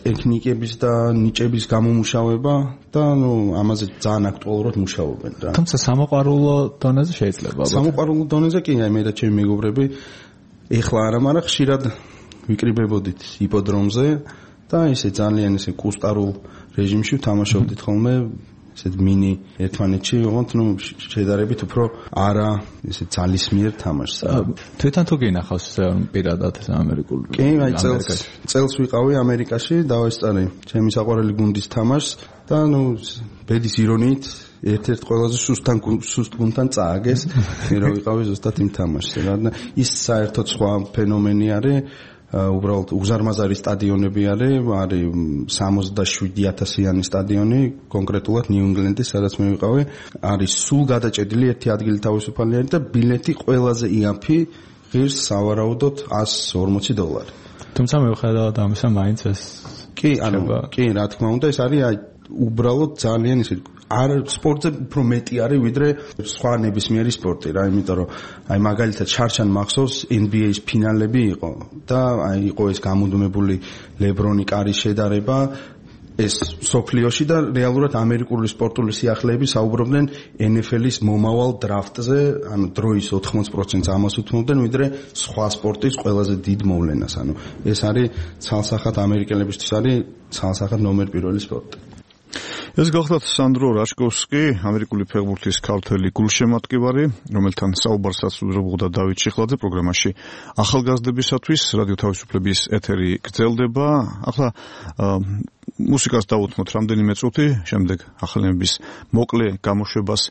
ტექნიკების და ნიჭების გამომუშავება და ამაზე ძალიან აქტუალურად მუშაობენ რა. თუმცა სამოყვარულო დონეზე შეიძლება. სამოყვარულო დონეზე კი მე და ჩემი მეგობრები ეხლა არა, მაგრამ ხშირად ვიკრიბებოდით იპოდრომზე და ისე ძალიან ისე კუსტარულ რეჟიმში ვთამაშობდით ხოლმე, ისე მინი ერთმანეთში, ოღონდ შედარებით უფრო არა ისე ძალისმიერ თამაშს. თვითონ თუ გინახავს პირადად ეს ამერიკული? კი, აი წელს ვიყავი ამერიკაში, დავესწარი ჩემი საყვარელი გუნდის თამაშს და ბედის ირონიით ერთ-ერთ ყველაზე სუსტ გუნდთან წააგეს, რომ ვიყავი ზუსტად იმ თამაშზე. რადგან ის საერთოდ სხვა ფენომენი არის, უბრალოდ უზარმაზარი სტადიონები არის 67,000-იანი სტადიონი, კონკრეტულად ნიუ-ინგლენდის, სადაც მე ვიყავი, არის სულ გადაჭედილი ერთი ადგილი თავისუფალი არის და ბილეთი ყველაზე იაფი ღირს სავარაუდოდ $140. თუმცა მიუხედავად ამისა მაინც ეს კი, რა თქმა უნდა, ეს არის უბრალოდ ძალიან ისე არ სპორტზე უფრო მეტი არის ვიდრე სხვა ნებისმიერი სპორტი რა, იმიტომ რომ მაგალითად შარშან მახსოვს NBA-ის ფინალები იყო და იყო ეს გამუდმებული ლებრონი კარის შედარება ეს სოფლიოში და რეალურად ამერიკული სპორტული სიახლეები საუბრობდნენ NFL-ის მომავალ დრაფტზე, ანუ დროის 80%-ს ამას უთმობდნენ, ვიდრე სხვა სპორტის ყველაზე დიდ მოვლენას, ანუ ეს არის ცალსახად ამერიკელებისთვის არის ცალსახად ნომერ პირველი სპორტი. ეს გახლავთ სანდრო რაშკოვსკი, ამერიკული ფეხბურთის ქართველი გულშემატკივარი, რომელთან საუბარსაც უძრებოდა დავით შიხლაძე პროგრამაში ახალგაზრდებისათვის რადიო თავისუფლების ეთერი გრძელდება. ახლა მუსიკას დავუთმოთ რამდენიმე წუთი, შემდეგ ახალების მოკლე გამოშვებას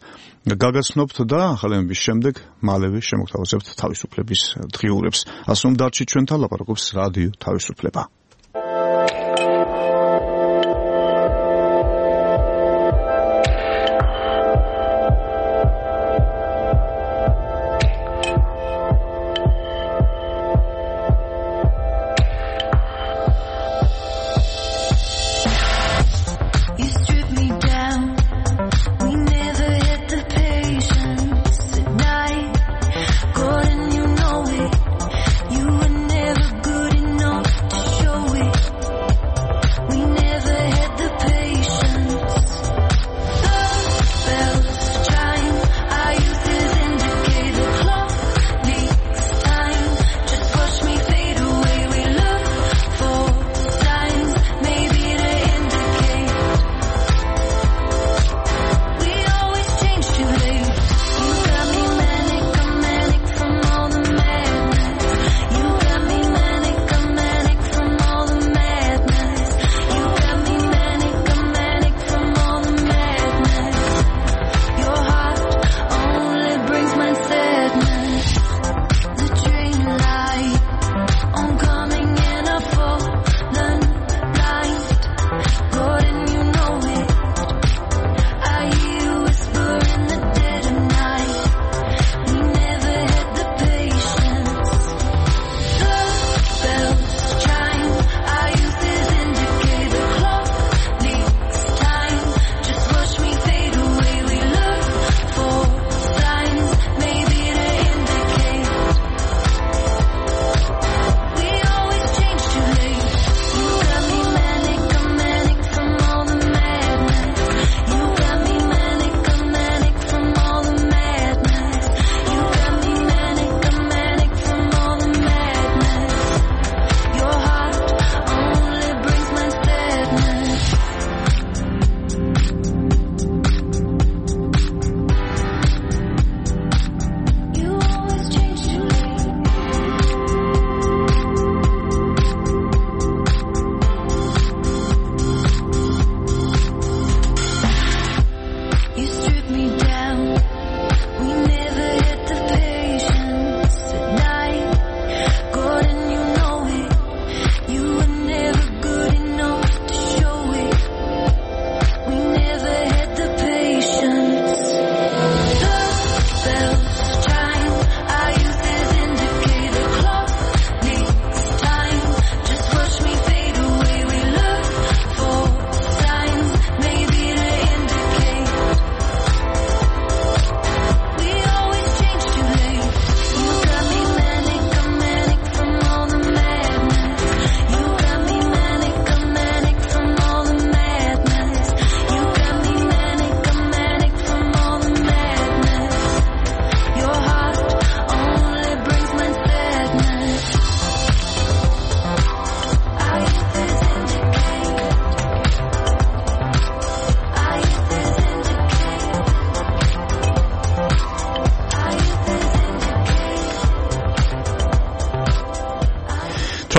გაგაცნობთ და ახალების შემდეგ მალევე შემოგთავაზებთ თავისუფლების დღიურებს. ასე რომ დარჩით ჩვენთან, ლაპარაკობს რადიო თავისუფლება. Show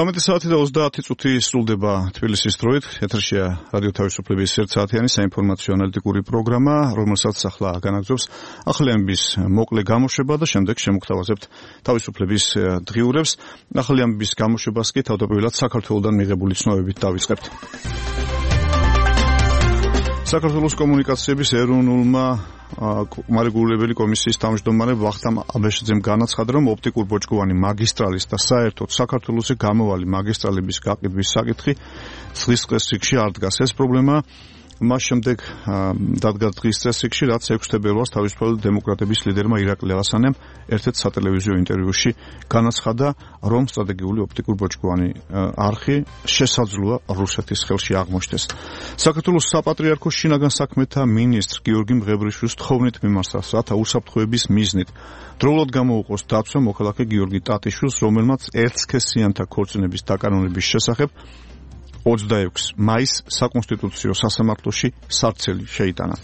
18 საათი და 30 წუთი სრულდება თბილისის დროით. ეთერშია რადიო თავისუფლების ერთსაათიანი საინფორმაციო ანალიტიკური პროგრამა, რომელსაც ახლა განაგრძობს ახალიანების მოკლე გამოშვება და შემდეგ შემოგთავაზებთ თავისუფლების დღიურებს. ახალიანების გამოშვებას კი თავდაპირველად საქართველოსდან მიღებული ცნობებით დავიწყებთ. საქართველოს კომუნიკაციების ეროვნულმა მარეგულირებელი კომისიის თავმჯდომარე ვახტამ აბეშიძემ განაცხადა, რომ ოპტიკურ ბოჭკოვანი მაგისტრალის და საერთოდ საქართველოს გამოვალი მაგისტრალების გაყიდვის საკითხი დღის წესრიგში არ დგას. ეს პრობლემა მას შემდეგ დადგა დღის წესრიგში, რაც 6 თებერვალს თავისუფალი დემოკრატების ლიდერმა ირაკლი ალასანემ ერთ-ერთ სატელევიზიო ინტერვიუში განაცხადა, რომ სტრატეგიული ოპტიკურ ბოჭკოვანი არხი შესაძლოა რუსეთის ხელში აღმოჩნდეს. საქართველოს საპატრიარქოს შინაგან საქმეთა მინისტრ გიორგი მღებრიშვილის თხოვნით მიმართა, რათა უსაფრთხოების მიზნით დროულად გამოუყოს დაცვა მოქალაქე გიორგი ტატიშვილს, რომელმაც ერთსქესიანთა ქორწინების დაკანონების შესახებ 26 მაისს საკონსტიტუციო სასამართლოში სარცელი შეიტანა.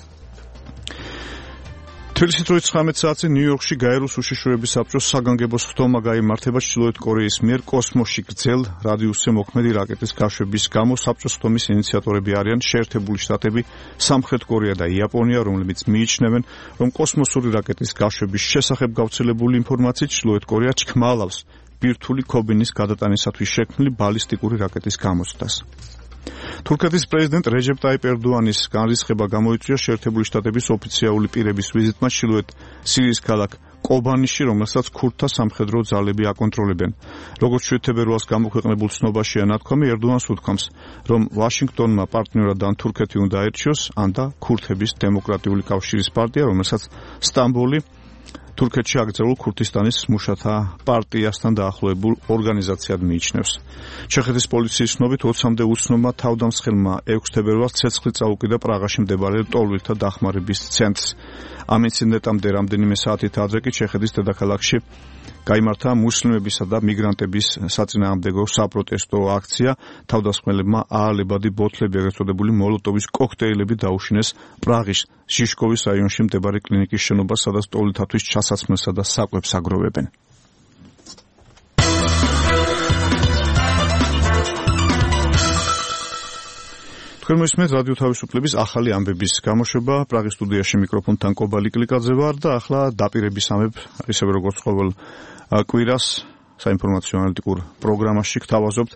თბილისის დროით 19 საათზე ნიუ-იორკში გაეროს უშიშროების საბჭოს საგანგებო სხდომა გაიმართება ჩრდილოეთ კორეის მიერ კოსმოსში გრძელ რადიუსზე მოქმედი რაკეტის გაშვების გამო. საბჭოს სხდომის ინიციატორები არიან შეერთებული შტატები, სამხრეთ კორეა და იაპონია, რომლებიც მიიჩნევენ, რომ კოსმოსური რაკეტის გაშვების შესახებ გავრცელებული ინფორმაციით ჩრდილოეთ კორეა ჩქმალავს ბირთვული ქობინის გადატანისათვის შექმნილი ბალისტიკური რაკეტის გამოცდას. თურქეთის პრეზიდენტ რეჯეპ ტაიპ ერდოანის განრისხება გამოიწვია შეერთებული შტატების ოფიციალური პირების ვიზიტმა ჩრდილოეთ სირიის ქალაქ კობანიში, რომელსაც ქურდთა სამხედრო ძალები აკონტროლებენ. როგორც 7 თებერვალს გამოქვეყნებულ ცნობაშია ნათქვამი, ერდოანს უთქვამს, რომ ვაშინგტონმა პარტნიორად ან თურქეთი უნდა აერჩიოს, ან და ქურთების დემოკრატიული კავშირის პარტია, რომელსაც სტამბოლი თურქეთში აკრძალულ ქურთისტანის მუშათა პარტიასთან დაახლოებულ ორგანიზაციად მიიჩნევს. ჩეხეთის პოლიციის ცნობით 20-მდე უცნობმა თავდამსხელმა 6 თებერვალს ცეცხლი წაუკიდა პრაღაში მდებარე ტოლვილთა დახმარების ცენტრს. ამ ინციდენტამდე რამდენიმე საათით ადრე კი ჩეხეთის დედაქალაქში გაიმართა მუსლიმებისა და მიგრანტების საწინააღმდეგო საპროტესტო აქცია. თავდამსხმელებმა აალებადი ბოთლები, ეგრეთ წოდებული მოლოტოვის კოქტეილები დაუშინეს პრაღის ჟიშკოვის რაიონში მდებარე კლინიკის შენობას, სადაც ტოლვილთათვის ჩასაცმელსა და საკვებს აგროვებენ. თქვენ მოისმენთ რადიო თავისუფლების ახალი ამბების გამოშვება. პრაღის სტუდიაში მიკროფონთან კობალი კლიკაძე ვარ და ახლა დაპირებისამებ, ისევე როგორც ყოველ კვირას საინფორმაციო ანალიტიკურ პროგრამაში გთავაზობთ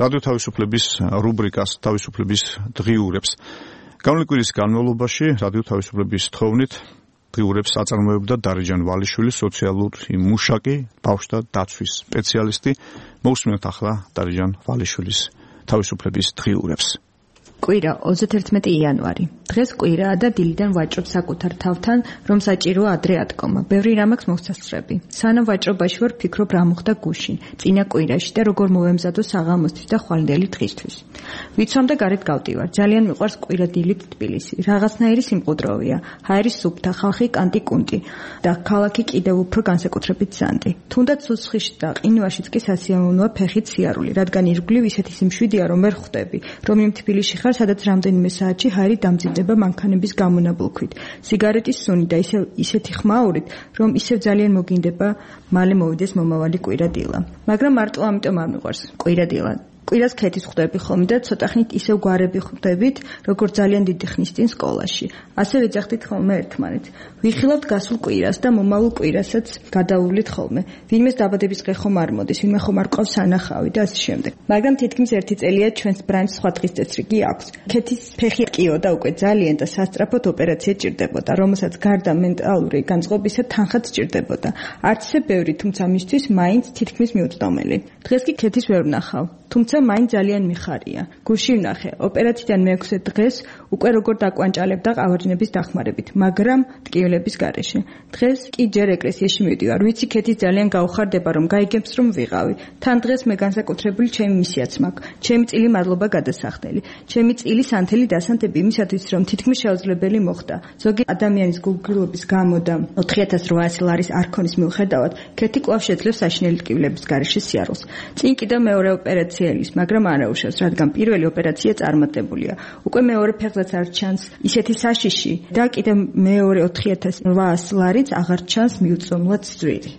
რადიო თავისუფლების რუბრიკას თავისუფლების დღიურებს. გამოვლინი კვირის განმავლობაში რადიო თავისუფლების თხოვნით დღიურებს აწარმოებდა დარეჯან ვალიშვილი, სოციალური მუშაკი, ბავშვთა დაცვის სპეციალისტი. მოусმინოთ ახლა დარეჯან ვალიშვილის თავისუფლების დღიურებს. კვირა 31 იანვარი. დღეს კვირაა და დილიდან ვაჭრობ საკუთარ თავთან, რომ საჭიროა ადრე ატკომა. ბევრი რამ აქვს მოსასწრები. სანამ ვაჭრობაში ვარ, ფიქრობ რა მოხდა გუშინ, წინა კვირაში და როგორ მოვემზადო საღამოსთვის და ხვალინდელი დღისთვის. ვიცვამ და გარეთ გავდივარ. ძალიან მიყვარს კვირა დილით თბილისი. რაღაცნაირი სიმყუდროვია. ჰაერის სუფთა, ხალხი კანტი-კუნტი და ქალაქი კიდევ უფრო განსაკუთრებით ზანდი. თუნდაც სუსხიში და ყინვაშიც კი სასიამოვნოა ფეხით სიარული, რადგან ირგვლივ ისეთი სიმშვიდეა, რომ ვერ ხვდები, რომ იმ თბილისში ხარ, სადაც რამდენიმე საათში ჰაერი დამძიმდება მანქანების გამონაბოლქვით. სიგარეტის სუნი და ისეთი ხმაურით, რომ ისევ ძალიან მოგინდება მალე მოვიდეს მომავალი კვირა დილა. მაგრამ მარტო ამიტომ არ მიყვარს კვირა დილა. კვირას ქეთის ხვდები ხოლმე და ცოტა ხნით ისევ გვარები ხვდებით, როგორც ძალიან დიდი ხნის წინ სკოლაში. ასევე ეძახდით ხოლმე ერთმანეთს. ვიხილავთ გასულ კვირას და მომავალ კვირასაც გადავუვლით ხოლმე. ვინმეს დაბადების დღე ხომ არ მოდის, ვინმე ხომ არ ყავს სანახავი და ასე შემდეგ. მაგრამ თითქმის ერთი წელია ჩვენს ბრანჩს სხვა დღის წესრიგი აქვს. ქეთის ფეხი ყიო და უკვე ძალიან და სასწრაფოდ ოპერაცია ჭირდებოდა, რომელსაც გარდა მენტალური განწყობისა თანხაც ჭირდებოდა. არც ისე ბევრი, თუმცა მისთვის მაინც თითქმის მიუწვდომელი. დღეს კი ქეთის ვერ ვნახავ. თუმცა მაინც ძალიან მიხარია. გულში ვნახე, ოპერაციიდან მე-6 დღეს უკვე როგორ დაკვანჭალებდა ყავარჯნების დახმარებით, მაგრამ ტკივილების გარეშე. დღეს კი ჯერ ეკლესიაში მივდივარ. ვიცი, ქეთის ძალიან გაუხარდება, რომ გაიგებს, რომ ვიყავი. თან დღეს მე განსაკუთრებული ჩემი მისიაც მაქვს. ჩემი წილი მადლობა გადასახდელი. ჩემი წილი სანთელი დასანთები იმისათვის, რომ თითქმის შეუძლებელი მოხდა. ზოგი ადამიანის გულგრილობის გამო და 4800 ლარის არქონის მიუხედავად, ქეთი კვლავ შეძლებს საშინელი ტკივილების გარეშე სიარულს. წინ კიდევ მეორე ოპერაცია მაგრამ არაუშავს, რადგან პირველი ოპერაცია წარმატებულია. უკვე მეორე ფეხზეც არ ჩანს ისეთი საშიში და კიდევ მეორე 4800 ლარიც აღარ ჩანს მიუწვომლად ძვირი.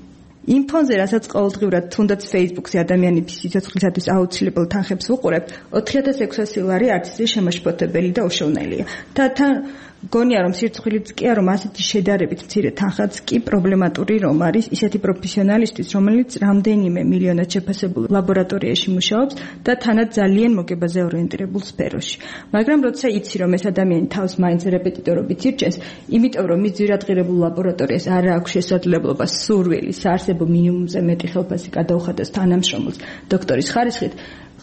იმ ფონზე, რასაც ყოველდღიურად თუნდაც Facebook-ზე ადამიანების სიცოცხლისათვის აუცილებელ თანხებს ვუყურებთ, 4600 ლარი არც ისე შემაშფოთებელი და უშოვნელია. და თან გონია რომ სირცხვილიც კია რომ ასეთი შედარებით მცირე თანხაც კი პრობლემატური რომ არის ისეთი პროფესიონალისტვის, რომელიც რამდენიმე მილიონად შეფასებულ ლაბორატორიაში მუშაობს და თანაც ძალიან მოგებაზე ორიენტირებულ სფეროში. მაგრამ როცა იცი რომ ეს ადამიანი თავს მაინც რეპეტიტორობით ირჩენს, იმიტომ რომ მის ძვირადღირებულ ლაბორატორიას არ აქვს შესაძლებლობა სურვილი საარსებო მინიმუმზე მეტი ხელფასი გადაუხადოს თანამშრომლს დოქტორის ხარისხით,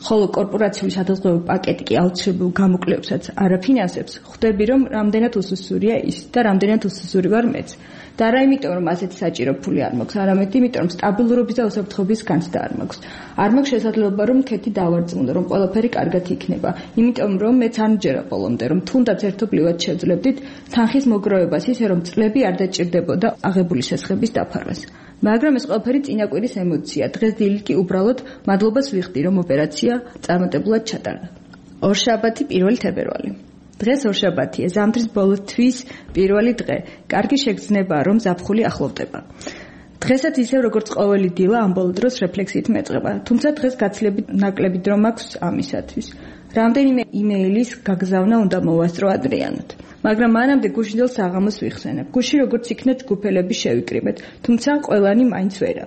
ხოლო კორპორაციული სადაზღვევო პაკეტი კი აუცილებელ გამოკვლევებსაც არ აფინანსებს, ხვდები რომ რამდენად უსუსურია ის და რამდენად უსუსური ვარ მეც. და არა იმიტომ რომ ასეთი საჭირო ფული არ მაქვს, არამედ იმიტომ რომ სტაბილურობის და უსაფრთხოების განცდა არ მაქვს. არ მაქვს შესაძლებლობა რომ ქეთი დავარწმუნო, რომ ყველაფერი კარგად იქნება, იმიტომ რომ მეც არ მჯერა ბოლომდე რომ თუნდაც ერთობლივად შევძლებდით თანხის მოგროვებას ისე რომ წლები არ დაჭირდებოდა აღებული სესხების დაფარვას. მაგრამ ეს ყველაფერი წინა კვირის ემოცია. დღეს დილით კი უბრალოდ მადლობას ვიხდი, რომ ოპერაცია წარმატებულად ჩატარდა. ორშაბათი 1 თებერვალი. დღეს ორშაბათია, ზამთრის ბოლო თვის პირველი დღე. კარგი შეგრძნებაა, რომ ზაფხული ახლოვდება. დღესაც ისევ როგორც ყოველი დილა ამ ბოლო დროს რეფლექსიით მეწყება, თუმცა დღეს გაცილებით ნაკლები დრო მაქვს ამისათვის. რამდენიმე იმეილის გაგზავნა უნდა მოვასწრო ადრიანად. მაგრამ მანამდე გუშინდელ საღამოს ვიხსენებ. გუში როგორც იქნა ჯგუფელები შევიკრიბეთ, თუმცა ყველანი მაინც ვერა.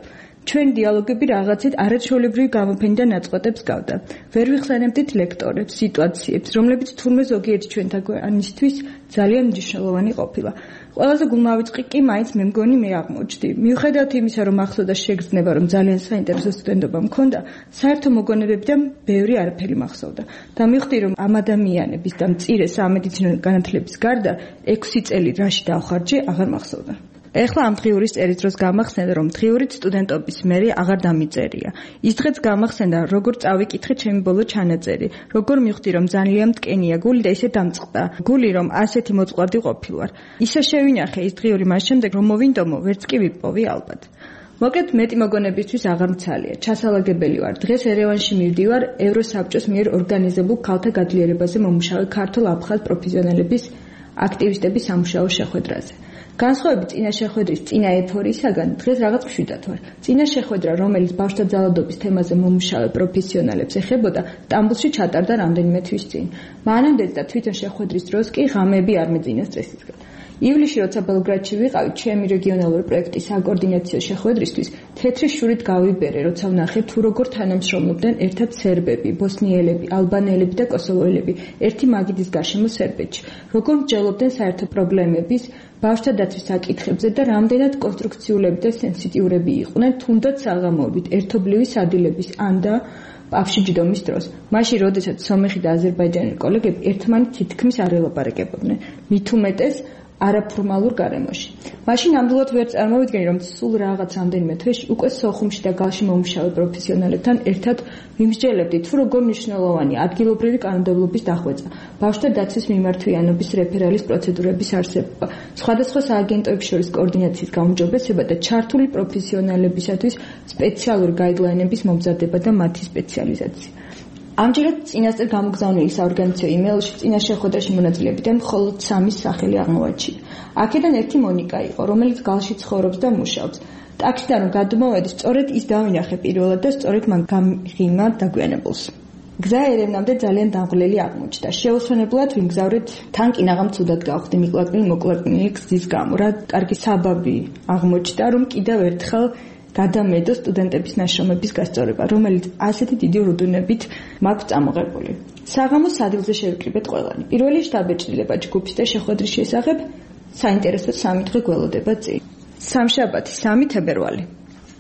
ჩვენი დიალოგები რაღაცით არაჩვეულებრივი გამოფენი და ნაწყვეტებს გავდა. ვერ ვიხსენებდით ლექტორებს, სიტუაციებს, რომლებიც თურმე ზოგიერთი ჩვენთაგანისთვის ძალიან მნიშვნელოვანი ყოფილა. ყველაზე გულმავიწყი კი მაინც მე მგონი მე აღმოჩნდი. მიუხედავად იმისა, რომ ახსოვდა შეგრძნება, რომ ძალიან საინტერესო სტუდენტობა მქონდა, საერთო მოგონებებიდან ბევრი არაფერი მახსოვდა. და მივხვდი, რომ ამ ადამიანების და მწირე სამედიცინო განათლების გარდა 6 წელი რაში დავხარჯე, აღარ მახსოვდა. ეხლა ამ დღიურის წერის დროს გამახსენდა, რომ დღიურით სტუდენტობის მერე აღარ დამიწერია. ის დღეც გამახსენდა, როგორ წავიკითხე ჩემი ბოლო ჩანაწერი, როგორ მივხვდი, რომ ძალიან მტკენია გული და ისე დამწყდა. გული, რომ ასეთი მოწყვლადი ყოფილვარ. ისე შევინახე ის დღიური მას შემდეგ, რომ მოვინდომო, ვერც კი ვიპოვი ალბათ. მოკლედ მეტი მოგონებისთვის აღარ მცალია. ჩასალაგებელი ვარ. დღეს ერევანში მივდივარ ევროსაბჭოს მიერ ორგანიზებულ ქალთა გაძლიერებაზე მომუშავე ქართულ აფხაზ პროფესიონალების აქტივისტების სამუშაო შეხვედრაზე. განსხვავებით წინა შეხვედრის წინა ეფორიისაგან, დღეს რაღაც მშვიდად ვარ. წინა შეხვედრა, რომელიც ბავშვთა ძალადობის თემაზე მომუშავე პროფესიონალებს ეხებოდა, სტამბოლში ჩატარდა რამდენიმე თვის წინ. მანამდეც და თვითონ შეხვედრის დროს კი ღამეები არ მეძინა სტრესისგან. ივლისში, როცა ბელგრადში ვიყავი ჩემი რეგიონალური პროექტის საკოორდინაციო შეხვედრისთვის, თეთრი შურით გავიბერე, როცა ვნახე თუ როგორ თანამშრომლობდნენ ერთად სერბები, ბოსნიელები, ალბანელები და კოსოვოელები ერთი მაგიდის გარშემო სერბეთში. როგორ მსჯელობდნენ საერთო პრობლემების, ბავშვთა დაცვის საკითხებზე და რამდენად კონსტრუქციულები და სენსიტიურები იყვნენ, თუნდაც საღამოობით, ერთობლივი სადილების ან და ბავშვი ჯდომის დროს. მაშინ, როდესაც სომეხი და აზერბაიჯანელი კოლეგები ერთმანეთს თითქმის არ ელაპარაკებოდნენ, მით უმეტეს არაფორმალურ გარემოში. მაშინ ნამდვილად ვერ წარმოვიდგენი, რომ სულ რაღაც რამდენიმე თვეში უკვე სოხუმში და გალში მომუშავე პროფესიონალებთან ერთად ვიმსჯელებდი, თუ როგორ მნიშვნელოვანი ადგილობრივი კანონმდებლობის დახვეწა, ბავშვთა დაცვის მიმართვიანობის რეფერალის პროცედურების არსებობა, სხვადასხვა სააგენტოებს შორის კოორდინაციის გაუმჯობესება და ჩართული პროფესიონალებისათვის სპეციალური გაიდლაინების მომზადება და მათი სპეციალიზაცია. ამჯერად წინასწარ გამოგზავნილი საორგანიზაციო იმეილში წინა შეხვედრაში მონაწილეებიდან მხოლოდ 3 სახელი აღმოაჩინა. აქედან ერთი მონიკა იყო, რომელიც გალში ცხოვრობს და მუშაობს. ტაქსიდან რომ გადმოვედი, სწორედ ის დავინახე პირველად და სწორედ მან გამიღიმა დაგვიანებულს. გზა ერევნამდე ძალიან დამღლელი აღმოჩნდა. შეუსვენებლად ვიმგზავრეთ, თან კი ნაღამ ცუდად გავხდი მიკლაკნილი გზის გამო, რა კარგი საბაბი აღმოჩნდა, რომ კიდევ ერთხელ გადამედო სტუდენტების ნაშრომების გასწორება, რომელიც ასეთი დიდი ურდუნებით მაქვს წამოღებული. საღამოს სადილზე შევიკრიბეთ ყველანი. პირველი შტაბ-ეჭდილება ჯგუფის და შეხვედრის შესახებ საინტერესო 3 დღე გველოდება წინ. სამშაბათი 3 თებერვალი.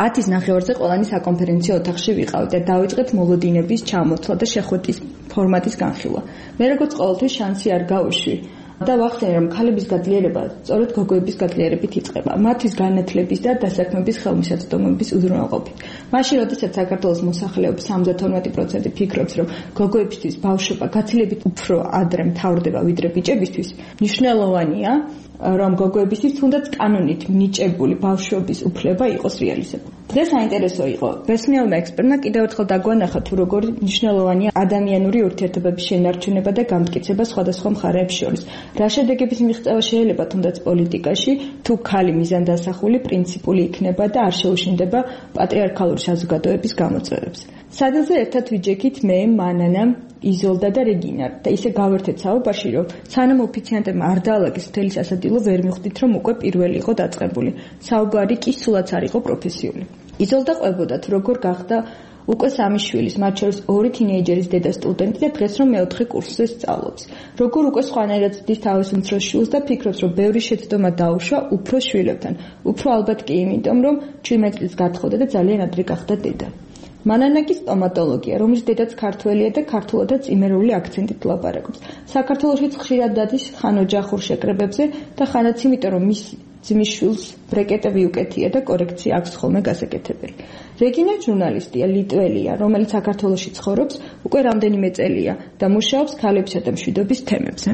10-ის ნახევარზე ყველანი საკონფერენციო ოთახში ვიყავით და დავიწყეთ მოლოდინების ჩამოსვლა და შეხვედრის ფორმატის განხილვა. მე როგორც ყოველთვის შანსი არ გავუშვი და ვახსენე, რომ ქალების გაძლიერება სწორედ გოგოების გაძლიერებით იწყება, მათთვის განათლების და დასაქმების ხელმისაწვდომობის უზრუნველყოფით. მაშინ, როდესაც საქართველოს მოსახლეობის 72% ფიქრობს, რომ გოგოებისთვის ბავშვობა გაცილებით უფრო ადრე მთავრდება ვიდრე ბიჭებისთვის, მნიშვნელოვანია, რომ გოგოებისთვის თუნდაც კანონით მინიჭებული ბავშვობის უფლება იყოს რეალიზებული. დღეს საინტერესო იყო ბესმიალმა ექსპერტმა კიდევ ერთხელ დაგვანახა თუ როგორ მნიშვნელოვანია ადამიანური ურთიერთობების შენარჩუნება და გამტკიცება სხვადასხვა მხარეებს შორის. რა შედეგების მიღწევა შეიძლება თუნდაც პოლიტიკაში, თუ ქალი მიზანდასახული, პრინციპული იქნება და არ შეუშინდება პატრიარქალური საზოგადოების გამოწვევებს. სადელზე ერთად ვიჯექით მე, მანანა, იზოლდა და რეგინა და ისე გავერთეთ საუბარში, რომ სანამ ოფიციანტებმა არ დაალაგეს მთელი სასადილო, ვერ მიხვდით, რომ უკვე პირველი იყო დაწყებული. საუბარი კი სულაც არ იყო პროფესიული. იზოლდა ყვებოდა თუ როგორ გახდა უკვე 3 შვილის, მათ შორის 2 თინეიჯერის დედა სტუდენტი და დღეს რომ მეოთხე კურსზე სწავლობს. როგორ უკვე სხვანაირად ძდის თავის უმცროს შვილს და ფიქრობს, რომ ბევრი შეცდომა დაუშვა უფროს შვილებთან. უფრო ალბათ კი იმიტომ, რომ 17 წლის გათხოვდა და ძალიან ადრე გახდა დედა. მანანა კი სტომატოლოგია, რომლის დედაც ქართველია და ქართულადაც იმერული აქცენტით ლაპარაკობს. საქართველოშიც ხშირად დადის ხან ოჯახურ შეკრებებზე და ხანაც იმიტომ, რომ მის ძმის შვილს ბრეკეტები უკეთია და კორექცია აქვს ხოლმე გასაკეთებელი. რეგინა ჟურნალისტია, ლიტველია, რომელიც საქართველოში ცხოვრობს უკვე რამდენიმე წელია და მუშაობს ქალებისა და მშვიდობის თემებზე.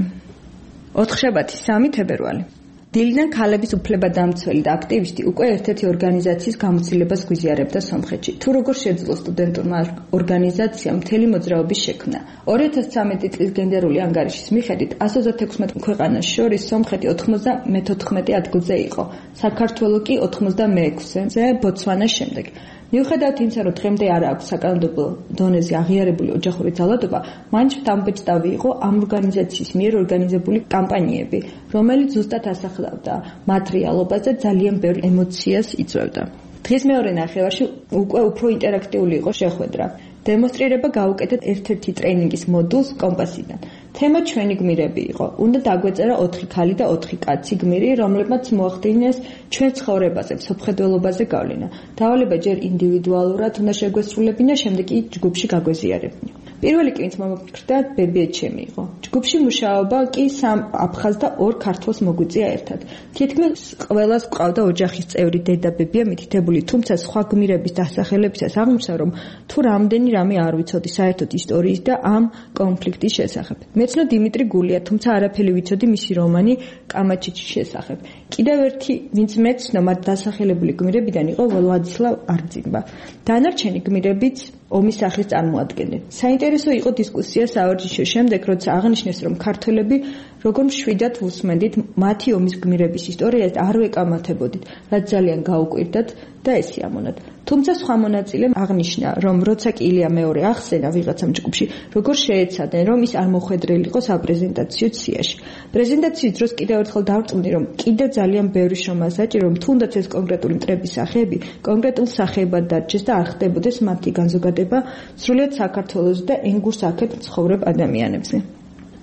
4 3 თებერვალი. დილიდან ქალების უფლებადამცველი და აქტივისტი უკვე ერთ-ერთი ორგანიზაციის გამოცდილებას გვიზიარებდა სომხეთში. თუ როგორ შეძლო სტუდენტურმა ორგანიზაციამ მთელი მოძრაობის შექმნა. 2013 წლის გენდერული ანგარიშის მიხედვით 136 ქვეყანას შორის სომხეთი 94 ადგილზე იყო. საქართველო კი 86-ზე, ბოცვანას შემდეგ. მიუხედავად იმისა, რომ დღემდე არ აქვს საკანონმდებლო დონეზე აღიარებული ოჯახური ძალადობა, მაინც დამბეჭდავი იყო ამ ორგანიზაციის მიერ ორგანიზებული კამპანიები, რომელიც ზუსტად ასახავდა მათ რეალობას და ძალიან ბევრ ემოციას იწვევდა. დღის მეორე ნახევარში უკვე უფრო ინტერაქტიული იყო შეხვედრა. დემონსტრირება გაუკეთეთ ერთ-ერთი ტრეინინგის მოდულს კომპასიდან. თემა ჩვენი გმირები იყო. უნდა დაგვეწერა 4 ქალი და 4 კაცი გმირი, რომლებმაც მოახდინეს ჩვენ ცხოვრებაზე, მსოფლმხედველობაზე გავლენა. დავალება ჯერ ინდივიდუალურად უნდა შეგვესრულებინა, შემდეგ კი ჯგუფში გაგვეზიარებინა. პირველი კი ვინც მომფიქრდა, ბებიეჩემი იყო. ჯგუფში მუშაობა კი 3 აფხაზ და 2 ქართველს მოგვიწია ერთად. თითქმის ყველას ყავდა ოჯახის წევრი დედა ბებია მითითებული, თუმცა სხვა გმირების დასახელებისას აღმოჩნდა, რომ თუ რამდენი რამე არ ვიცოდი საერთოდ ისტორიის და ამ კონფლიქტის შესახებ. მეცნო დიმიტრი გულია, თუმცა არაფერი ვიცოდი მისი რომანი კამაჩიჩის შესახებ. კიდევ ერთი, ვინც მეცნო მათ დასახელებული გმირებიდან იყო ვლადისლავ არძინბა. დანარჩენი გმირებიც ომის სახეს წარმოადგენდნენ. საინტერესო იყო დისკუსია საორჯიშოს შემდეგ, როცა აღნიშნეს, რომ ქართველები როგორ მშვიდად უსმენდით მათი ომის გმირების ისტორიას და არ ვეკამათებოდით, რაც ძალიან გაუკვირდათ და ესიამონათ. თუმცა სხვა მონაწილემ აღნიშნა, რომ როცა კი ილია მეორე ახსენა ვიღაცამ ჯგუფში, როგორ შეეცადნენ, რომ ის არ მოხვედრილი იყო საპრეზენტაციო სიაში. პრეზენტაციის დროს კიდევ ერთხელ დავწუნდი, რომ კიდევ ძალიან ბევრი შრომა საჭირო, რომ თუნდაც ეს კონკრეტული მტრების სახეები კონკრეტულ სახეებად დარჩეს და არ ხდებოდეს მათი განზოგადება სრულიად საქართველოს და ენგურს აქეთ ცხოვრებ ადამიანებზე.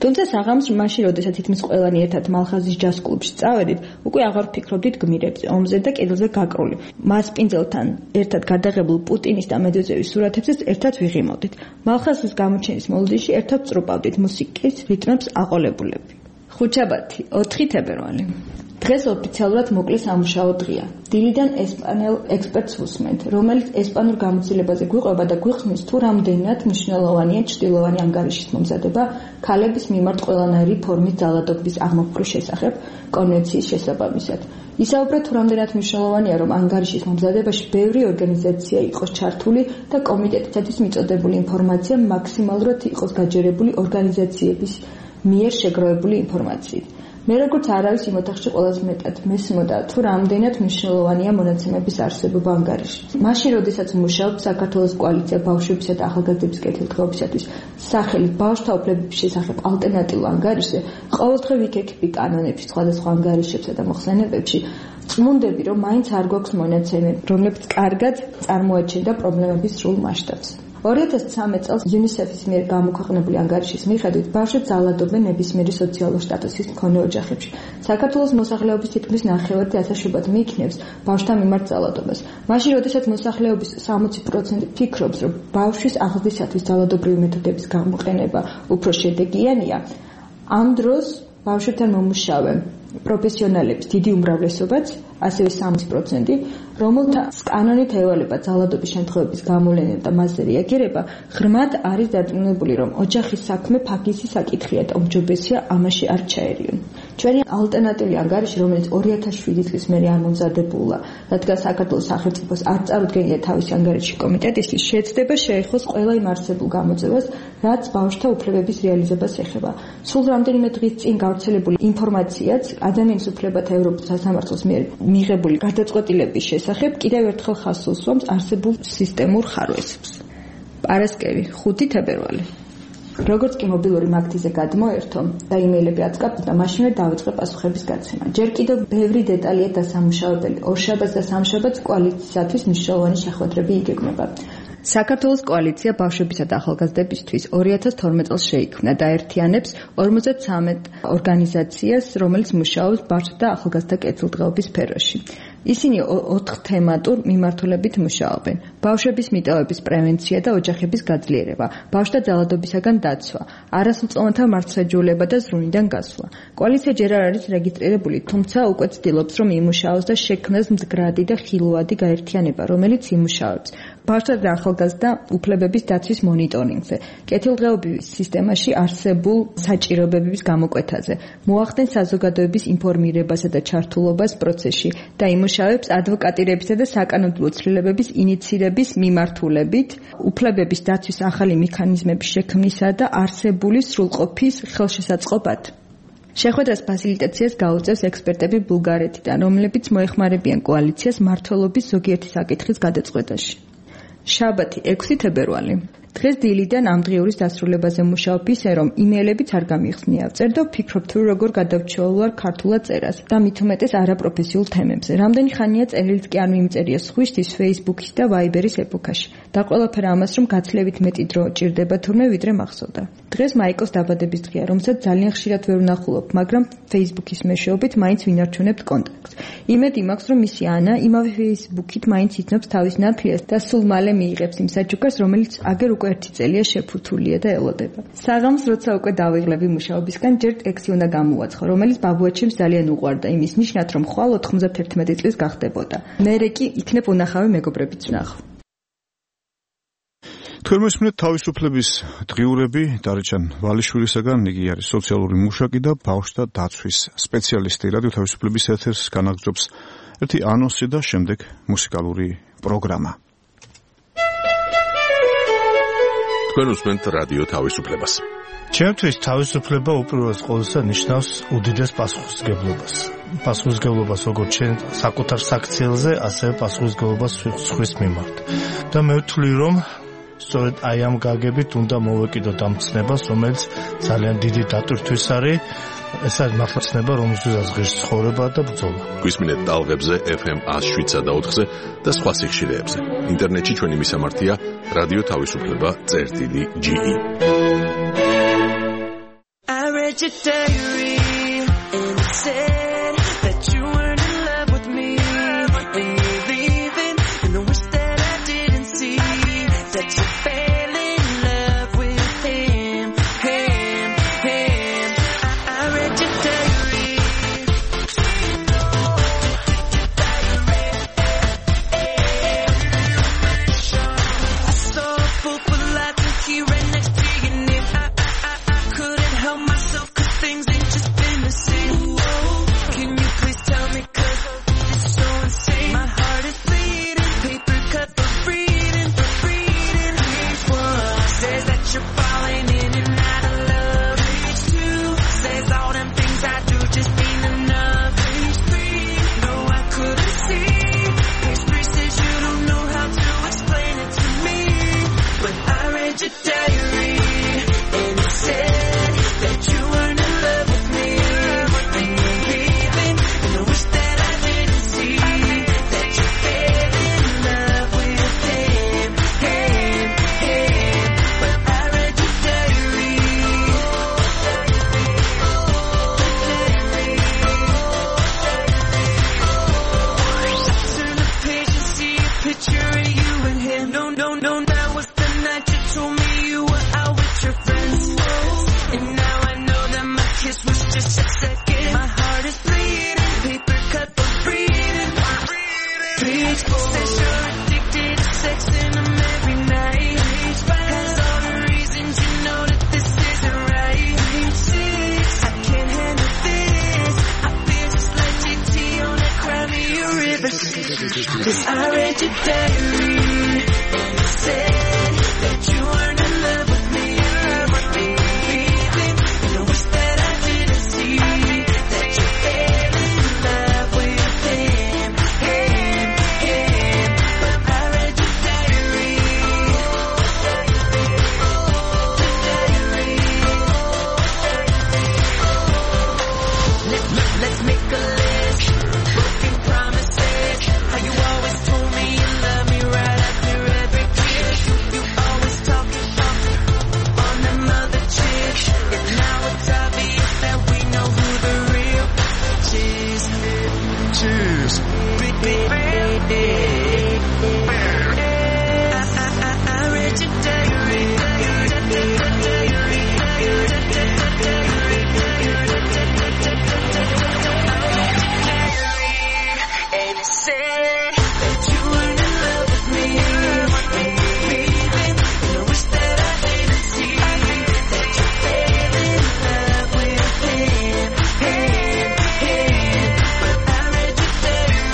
თუმცა საღამოს მაშინ, როდესაც თითქმის ყველანი ერთად მალხაზის ჯაზ კლუბში წავედით, უკვე აღარ ვფიქრობდით გმირებზე, ომზე და კედელზე გაკრული. მასპინძელთან ერთად გადაღებულ პუტინის და მედვედევის სურათებზეც ერთად ვიღიმავდით. მალხაზის გამოჩენის მოლოდინში ერთად წრუპავდით მუსიკის რიტმებს აყოლებულები. ხუთშაბათი, 4 თებერვალი. დღეს ოფიციალურად მოკლე სამუშაო დღეა. დილიდან ესპანელ ექსპერტს ვუსმენთ, რომელიც ესპანურ გამოცდილებაზე გვიყვება და გვიხსნის თუ რამდენად მნიშვნელოვანია ჩრდილოვანი ანგარიშის მომზადება ქალების მიმართ ყველანაირი ფორმის ძალადობის აღმოფხრის შესახებ კონვენციის შესაბამისად. ისაუბრა თუ რამდენად მნიშვნელოვანია, რომ ანგარიშის მომზადებაში ბევრი ორგანიზაცია იყოს ჩართული და კომიტეტისათვის მიწოდებული ინფორმაცია მაქსიმალურად იყოს გაჯერებული ორგანიზაციების მიერ შეგროვებული ინფორმაციით. მე როგორც არავის იმ ოთახში ყველაზე მეტად მესმოდა თუ რამდენად მნიშვნელოვანია მონაცემების არსებობა ანგარიშში. მაშინ, როდესაც მუშაობ საქართველოს კოალიცია ბავშვებისა და ახალგაზრდების კეთილდღეობისათვის სახელით ბავშვთა უფლებების შესახებ ალტერნატიულ ანგარიშზე, ყოველდღე ვიქექები კანონებში, სხვადასხვა ანგარიშებსა და მოხსენებებში, წმუნდები, რომ მაინც არ გვაქვს მონაცემები, რომლებიც კარგად წარმოაჩენდა პრობლემების სრულ მასშტაბს. 2013 წელს UNICEF-ის მიერ გამოქვეყნებული ანგარიშის მიხედვით ბავშვებს ძალადობენ ნებისმიერი სოციალური სტატუსის მქონე ოჯახებში. საქართველოს მოსახლეობის თითქმის 9/10 ასაშობად მიიქნევს ბავშვთა მიმართ ძალადობას. მაშინ, როდესაც მოსახლეობის 60% ფიქრობს, რომ ბავშვის აღზრდისათვის ძალადობრივი მეთოდების გამოყენება უფრო შედეგიანია, ამ დროს ბავშვებთან მომუშავე პროფესიონალების დიდი უმრავლესობაც ასევე 3%, რომელთა კანონით ევალება ძალადობის შემთხვევების გამოვლენა და მასზე რეაგირება, ღრმად არის დარწმუნებული, რომ ოჯახის საქმე ფაქიზი საკითხია და უმჯობესია ამაში არ ჩაერიონ. ჩვენი ალტერნატიული ანგარიში, რომელიც 2007 წლის მერე არ მომზადებულა, რადგან საქართველოს სახელმწიფოს არ წარუდგენია თავისი ანგარიში კომიტეტისთვის, შეეცდება შეეხოს ყველა იმ არსებულ გამოძევას, რაც ბავშვთა უფლებების რეალიზებას ეხება. სულ რამდენიმე დღის წინ გავრცელებული ინფორმაციაც ადამიანის უფლებათა ევროპის სასამართლოს მიერ მიღებული გადაწყვეტილების შესახებ კიდევ ერთხელ ხაზს უსვამს არსებულ სისტემურ ხარვესებს. პარასკევი, 5 თებერვალი. როგორც კი მობილური მაგთიზე გადმოერთო და იმეილები აწყაბდა და მაშინვე დავიწყე პასუხების გაცემა. ჯერ კიდევ ბევრი დეტალია დასამუშავებელი. ორშაბათს და სამშაბათს კოალიციისათვის მნიშვნელოვანი შეხვედრები იგეგმება. საქართველოს კოალიცია ბავშვებისა და ახალგაზრდებისთვის 2012 წელს შეიქმნა და აერთიანებს 53 ორგანიზაციას, რომელიც მუშაობს ბავშვთა და ახალგაზრდა კეთილდღეობის სფეროში. ისინი 4 თემატურ მიმართულებით მუშაობენ: ბავშვების მიტოვების პრევენცია და ოჯახების გაძლიერება, ბავშვთა ძალადობისაგან დაცვა, არასრულწლოვანთა მართლმსაჯულება და ზრუნვიდან გასვლა. კოალიცია ჯერ არ არის რეგისტრირებული, თუმცა უკვე ცდილობს, რომ იმუშაოს და შექმნას მდგრადი და ხილვადი გაერთიანება, რომელიც იმუშავებს ბავშვთა და ახალგაზრდა უფლებების დაცვის მონიტორინგზე, კეთილდღეობის სისტემაში არსებულ საჭიროებების გამოკვეთაზე, მოახდენს საზოგადოების ინფორმირებასა და ჩართულობას პროცესში და იმუშავებს ადვოკატირებისა და საკანონმდებლო ცვლილებების ინიცირების მიმართულებით, უფლებების დაცვის ახალი მექანიზმების შექმნისა და არსებული სრულყოფის ხელშესაწყობად. შეხვედრას ფასილიტაციას გაუწევს ექსპერტები ბულგარეთიდან, რომლებიც მოეხმარებიან კოალიციას მმართველობის ზოგიერთი საკითხის გადაწყვეტაში. შაბათი 6 თებერვალი. დღეს დილიდან ამ დღიურის დასრულებაზე მუშაობ ისე, რომ იმეილებიც არ გამიხსნია. ვწერ და ვფიქრობ თუ როგორ გადავჩეულვარ ქართულად წერას და მით უმეტეს არაპროფესიულ თემებზე. რამდენი ხანია წერილიც კი არ მიმწერია სხვისთვის Facebook-ის და Viber-ის ეპოქაში. და ყველაფერ ამას, რომ გაცლებით მეტი დრო ჭირდება თურმე ვიდრე მახსოვდა. დღეს მაიკოს დაბადების დღეა, რომელსაც ძალიან ხშირად ვერ ვნახულობ, მაგრამ Facebook-ის მეშვეობით მაინც ვინარჩუნებთ კონტაქტს. იმედი მაქვს, რომ მისი ანა იმავე Facebook-ით მაინც იცნობს თავის ნათლიას და სულ მალე მიიღებს იმ საჩუქარს, რომელიც აგერ უკვე ერთი წელია შეფუთულია და ელოდება. საღამოს როცა უკვე დავიღლები მუშაობისგან, ჯერ ტექსტი უნდა გამოვაცხო, რომელიც ბაბუაჩემს ძალიან უყვარდა იმის ნიშნად, რომ ხვალ 91 წლის გახდებოდა. მერე კი იქნებ უნახავი მეგობრებიც ვნახო. თქვენ მოსმენთ თავისუფლების დღიურები დარეჯან ვალიშვილისაგან, იგი არის სოციალური მუშაკი და ბავშვთა დაცვის სპეციალისტი. რადიო თავისუფლების ეთერს განაგრძობს ერთი ანონსი და შემდეგ მუსიკალური პროგრამა. თქვენ უსმენთ რადიო თავისუფლებას. ჩემთვის თავისუფლება უპირველეს ყოვლისა ნიშნავს უდიდეს პასუხისმგებლობას. პასუხისმგებლობას როგორც ჩვენ საკუთარ საქციელზე, ასევე პასუხისმგებლობას სხვის მიმართ. და მე ვთვლი, რომ სწორედ აი ამ გაგებით უნდა მოვეკიდოთ ამ ცნებას, რომელიც ძალიან დიდი დატვირთვის არის. ეს არის მართლა ცნება, რომელზეც ღირს ცხოვრება და ბრძოლა. გვისმინეთ ტალღებზე FM 107.4-ზე და სხვა სიხშირეებზე. ინტერნეტში ჩვენი მისამართია რადიო თავისუფლება.ge. I read your diary and it said that you weren't in love with me when you're leaving, and I wish that I didn't see that you fell in love with him. I read your diary. I saw a fool for life and key right next to your name. I couldn't help myself 'cause things ain't just been the same. Whoa, can you please tell me 'cause it's so insane. My heart is bleeding, paper cut for reading. Page 1 says that you're falling in and out of love. Page 2 says all them things I do just ain't enough. Page 3, no I couldn't see. Page 3 says you don't know how to explain it to me. But I read your diary and it said that you weren't in love with me when you're leaving, and I wish that I didn't see that you fell in love with him. But I read your diary. ერთმანეთისთვის. I read your diary and it said that you weren't in love with me, baby. And I wish that I didn't see that you fell in love with him. But I read your diary. Let's make a list. Broken promises. How you always told me you love me right after every kiss. You always talking on them other chicks. And now it's obvious that we know who the real bitch is. Cheers. I read your diary. And it said that you weren't in love with me, baby. And I wish that I didn't see that you fell in love with him. But I read your diary.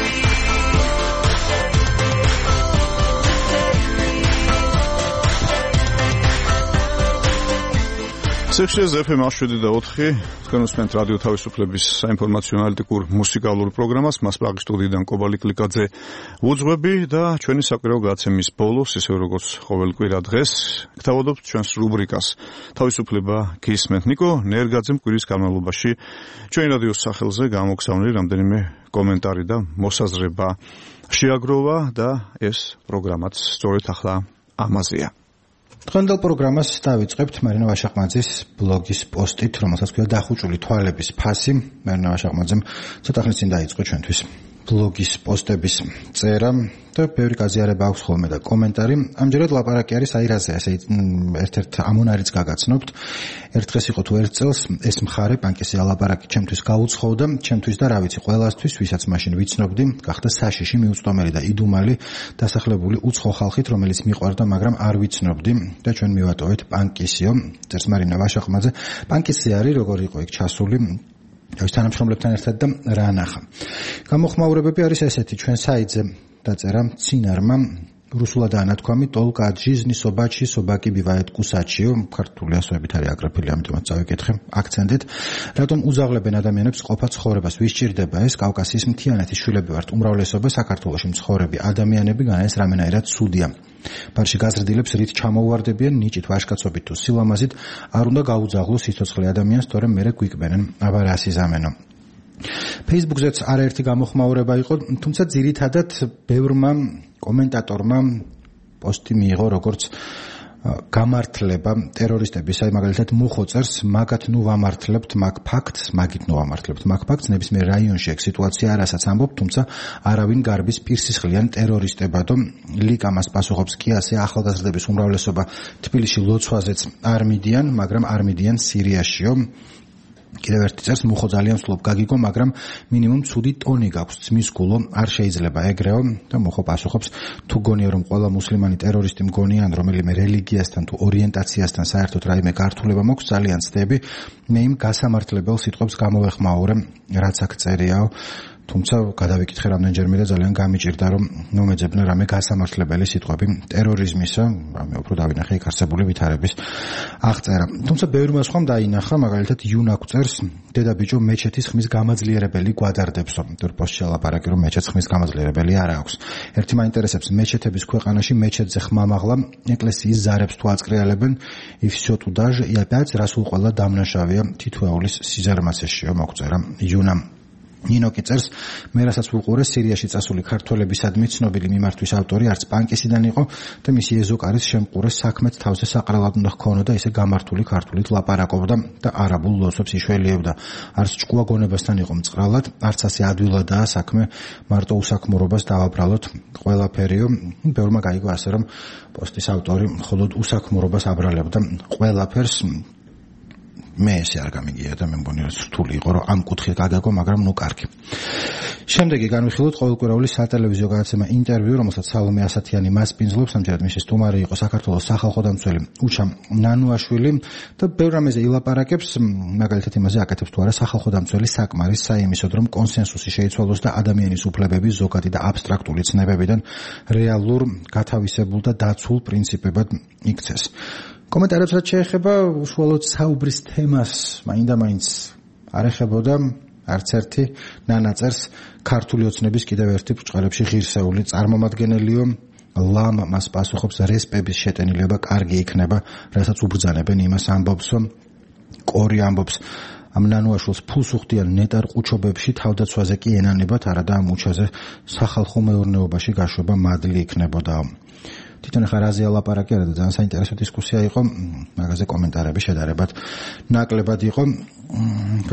სექციაზე FM 107.4 თქვენ უსმენთ რადიო თავისუფლების საინფორმაციო ანალიტიკურ მუსიკალურ პროგრამას. მასპრაღის სტუდიიდან კობალი კლიკაძე უძღვები და ჩვენი საკვირაო გადაცემის ბოლოს, ისე როგორც ყოველ კვირა დღეს, გთავაზობთ ჩვენს რუბრიკას თავისუფლება გისმენთ. ნიკო ნერგაძემ კვირის განმავლობაში ჩვენი რადიოს სახელზე გამოგზავნილი რამდენიმე კომენტარი და მოსაზრება შეაგროვა და ეს პროგრამაც სწორედ ახლა ამაზეა. დღევანდელ პროგრამას დავიწყებთ მარინა ვაშაყმაძის ბლოგის პოსტით, რომელსაც ქვია დახუჭული თვალების ფასი. მარინა ვაშაყმაძემ ცოტა ხნის წინ დაიწყო ჩვენთვის ბლოგის პოსტების წერა და ბევრი გაზიარება აქვს ხოლმე და კომენტარი. ამჯერად ლაპარაკი არის აირაზე, ასე ერთ-ერთ ამონარიც გაგაცნობთ. ერთ დღეს იყო თუ ერთ წელს ეს მხარე პანკისია ლაპარაკი ჩემთვის გაუცხოვდა, ჩემთვის და რა ვიცი, ყველასთვის, ვისაც მაშინ ვიცნობდი, გახდა საშიში, მიუწვდომელი და იდუმალი, დასახლებული უცხო ხალხით, რომელიც მიყვარდა, მაგრამ არ ვიცნობდი და ჩვენ მივატოვეთ პანკისიო. წერს მარინა ვაშაყმაძე. პანკისი არის, როგორ იყო იქ ჩასული თავის თანამშრომლებთან ერთად და რა ნახა. გამოხმაურებები არის ესეთი, ჩვენ საიტზე დაწერა ცინარმა რუსულადაა ნათქვამი ტოლკა ჯიზნი სობაჩი სობაკი ბივაეთ კუსაჩიო, ქართული ასოებით არის აგრაფილი, ამიტომაც წავიკითხე აქცენტით. რატომ უძაღლებენ ადამიანებს ყოფა ცხოვრებას? ვის ჭირდება ეს? კავკასიის მთიანეთის შვილები ვართ, უმრავლესობა საქართველოში მცხოვრები ადამიანები, განაეს რამენაირად ცუდია. ბარში გაზრდილებს რით ჩამოუვარდებიან ნიჭით, ვაჟკაცობით თუ სილამაზით, არ უნდა გაუძაღლო სიცოცხლე ადამიანს, თორემ მერე გვიკვენენ. აბა რა სიზამენო. Facebook-ზეც არაერთი გამოხმაურება იყო, თუმცა ძირითადად ბევრმა კომენტატორმა პოსტი მიიღო როგორც გამართლება ტერორისტების, აი მაგალითად მუხოწერს, მაგათ ნუ ვამართლებთ მაგ ფაქტს, მაგით ნუ ვამართლებთ მაგ ფაქტს, ნებისმიერ რაიონში ეგ სიტუაცია არასაც ამბობ, თუმცა არავინ გარბის პირსისხლიან ტერორისტებადო. ლიკამას პასუხობს კი ასე, ახალგაზრდების უმრავლესობა თბილისში ლოცვაზეც არ მიდიან, მაგრამ არ მიდიან სირიაშიო. კიდევ ერთი წერს, მუხო ძალიან ვსვლობ გაგიგო, მაგრამ მინიმუმ ცუდი ტონი გაქვს, ძმის გულო, არ შეიძლება ეგრეო. და მუხო პასუხობს, თუ გონია რომ ყველა მუსლიმანი ტერორისტი მგონია, ან რომელიმე რელიგიასთან თუ ორიენტაციასთან საერთოდ რაიმე გართულება მოქვს, ძალიან ცდები, მე იმ გასამართლებელ სიტყვებს გამოვეხმაურე, რაც აქ წერიაო. თუმცა გადავიკითხე რამდენჯერმე და ძალიან გამიჭირდა რომ მომეძებნა რამე გასამართლებელი სიტყვები ტერორიზმისა, რამე უფრო დავინახე იქ არსებული ვითარების აღწერა. თუმცა ბევრმა სხვამ დაინახა, მაგალითად იუნაკ წერს, დედაბიჭო მეჩეთის ხმის გამაძლიერებელი გვადარდებსო. თორ პოსტში ლაპარაკი რომ მეჩეთს ხმის გამაძლიერებელი არ აქვს. ერთი მაინტერესებს, მეჩეთების ქვეყანაში მეჩეთზე ხმამაღლა ეკლესიის ზარებს თუ აწკრიალებენ, и всё туда же, и опять расულ ყველა დამნაშავეა თითოეულის სიზარმაცეშიო, მოგწერა იუნამ. ნინოკი წერს, მე რასაც ვუყურე სირიაში წასული ქართველებისადმი ცნობილი მიმართვის ავტორი არც პანკისიდან იყო და მისი ეზოკარის შემყურეს საქმეც თავზე საყრელად უნდა ჰქონოდა, ისე გამართული ქართულით ლაპარაკობდა და არაბულ ლოცვებს იშველიებდა. არც ჭკუა გონებასთან იყო მწყრალად, არც ასე ადვილადაა საქმე, მარტო უსაქმურობას დავაბრალოთ ყველაფერიო. ბევრმა გაიგო ასე რომ პოსტის ავტორი მხოლოდ უსაქმურობას აბრალებდა ყველაფერს. მე ესე არ გამიგია და მე მგონი რომ რთული იყო რომ ამ კუთხით გაგაგო, მაგრამ ნუ კარგი. შემდეგი განვიხილოთ ყოველკვირეული სატელევიზიო გადაცემა ინტერვიუ, რომელსაც სალომე ასათიანი მასპინძლობს, ამჯერად მისი სტუმარი იყო საქართველოს სახალხო დამცველი უჩა ნანუაშვილი და ბევრ რამეზე ილაპარაკებს, მაგალითად იმაზე აკეთებს თუ არა სახალხო დამცველი საკმარის საიმისოდ, რომ კონსენსუსი შეიცვალოს და ადამიანის უფლებები ზოგადი და აბსტრაქტული ცნებებიდან რეალურ, გათავისებულ და დაცულ პრინციპებად იქცეს. კომენტარებს რაც შეეხება უშუალოდ საუბრის თემას, მაინდა-მაინც არ ეხებოდა არც ერთი ნანაწერს ქართული ოცნების კიდევ ერთი ბრჭყალებში ღირსეული წარმომადგენელიო ლამ მას პასუხობს რესპების შეტენილება კარგი იქნება, რასაც უბრძანებენ იმას ამბობს, კორი ამბობს ამ ნანუაშვილს ფულს უხდიან ნეტარ ყუჩობებში თავდაცვაზე კი ენანებათ, არადა ამ უჩაზე სახალხო მეურნეობაში გაშვება მადლი იქნებოდა. თვითონ ახლა რაზე ალაპარაკი არა და ძალიან საინტერესო დისკუსია იყო, მაგაზე კომენტარები შედარებად ნაკლებად იყო.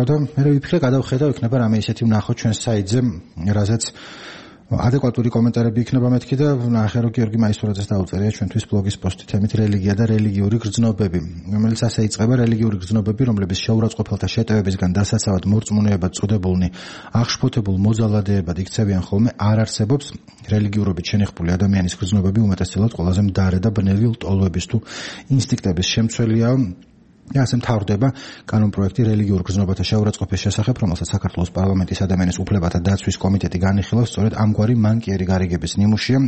და მე ვიფიქრე გადავხედავ იქნება რამე ისეთი ვნახო ჩვენს საიტზე, რაზეც ადეკვატური კომენტარები იქნება მეთქი და ნახე რომ გიორგი მაისურაძეს დაუწერია ჩვენთვის ბლოგის პოსტი თემით რელიგია და რელიგიური გრძნობები, რომელიც ასე იწყება: რელიგიური გრძნობები, რომლების შეურაცხყოფელთა შეტევებისგან დასაცავად მორწმუნეებად წოდებულნი აღშფოთებულ მოძალადეებად იქცევიან ხოლმე, არ არსებობს. რელიგიურობით შენეხული ადამიანის გრძნობები უმეტესწილად ყველაზე მდარე და ბნელი ლტოლვების თუ ინსტინქტების შემცველია. ასე მთავრდება კანონპროექტი რელიგიურ გრძნობათა შეურაცხყოფის შესახებ, რომელსაც საქართველოს პარლამენტის ადამიანის უფლებათა დაცვის კომიტეტი განიხილავს სწორედ ამგვარი მანკიერი გარიგების ნიმუშია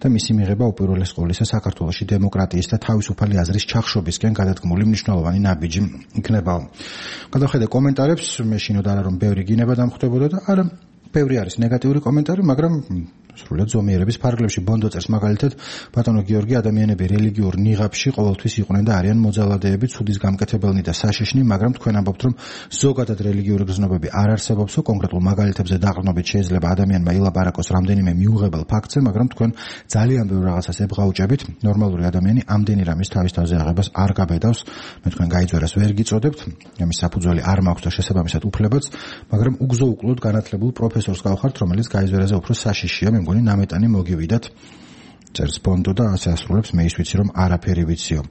და მისი მიღება უპირველეს ყოვლისა საქართველოში დემოკრატიის და თავისუფალი აზრის ჩახშობისკენ გადადგმული მნიშვნელოვანი ნაბიჯი იქნება. გადავხედე კომენტარებს, მე შინოდ არა რომ ბევრი გინება დამხვდებოდა და არა ბევრი არის ნეგატიური კომენტარი, მაგრამ სრულად ზომიერების ფარგლებში ბონდო წერს მაგალითად: ბატონო გიორგი, ადამიანები რელიგიურ ნიღაბში ყოველთვის იყვნენ და არიან მოძალადეები, ცუდის გამკეთებელნი და საშიშნი, მაგრამ თქვენ ამბობთ, რომ ზოგადად რელიგიური გრძნობები არ არსებობსო, კონკრეტულ მაგალითებზე დაყრდნობით შეიძლება ადამიანმა ილაპარაკოს რამდენიმე მიუღებელ ფაქტზე, მაგრამ თქვენ ძალიან ბევრ რაღაცას ებღაუჭებით. ნორმალური ადამიანი ამდენი რამის თავის თავზე აღებას არ გაბედავს. მე თქვენ გაიძვერას ვერ გიწოდებთ, ამის საფუძველი არ მაქვს და შესაბამისად უფლებაც, მაგრამ უგზო-უკლოდ განათლებულ პროფესორს გავხართ, რომელიც გაიძვერაზე უფრო საშიშია. მე მგონი ნამეტანი მოგივიდათ, წერს ბონდო და ასე ასრულებს: მე ის ვიცი რომ არაფერი ვიციო.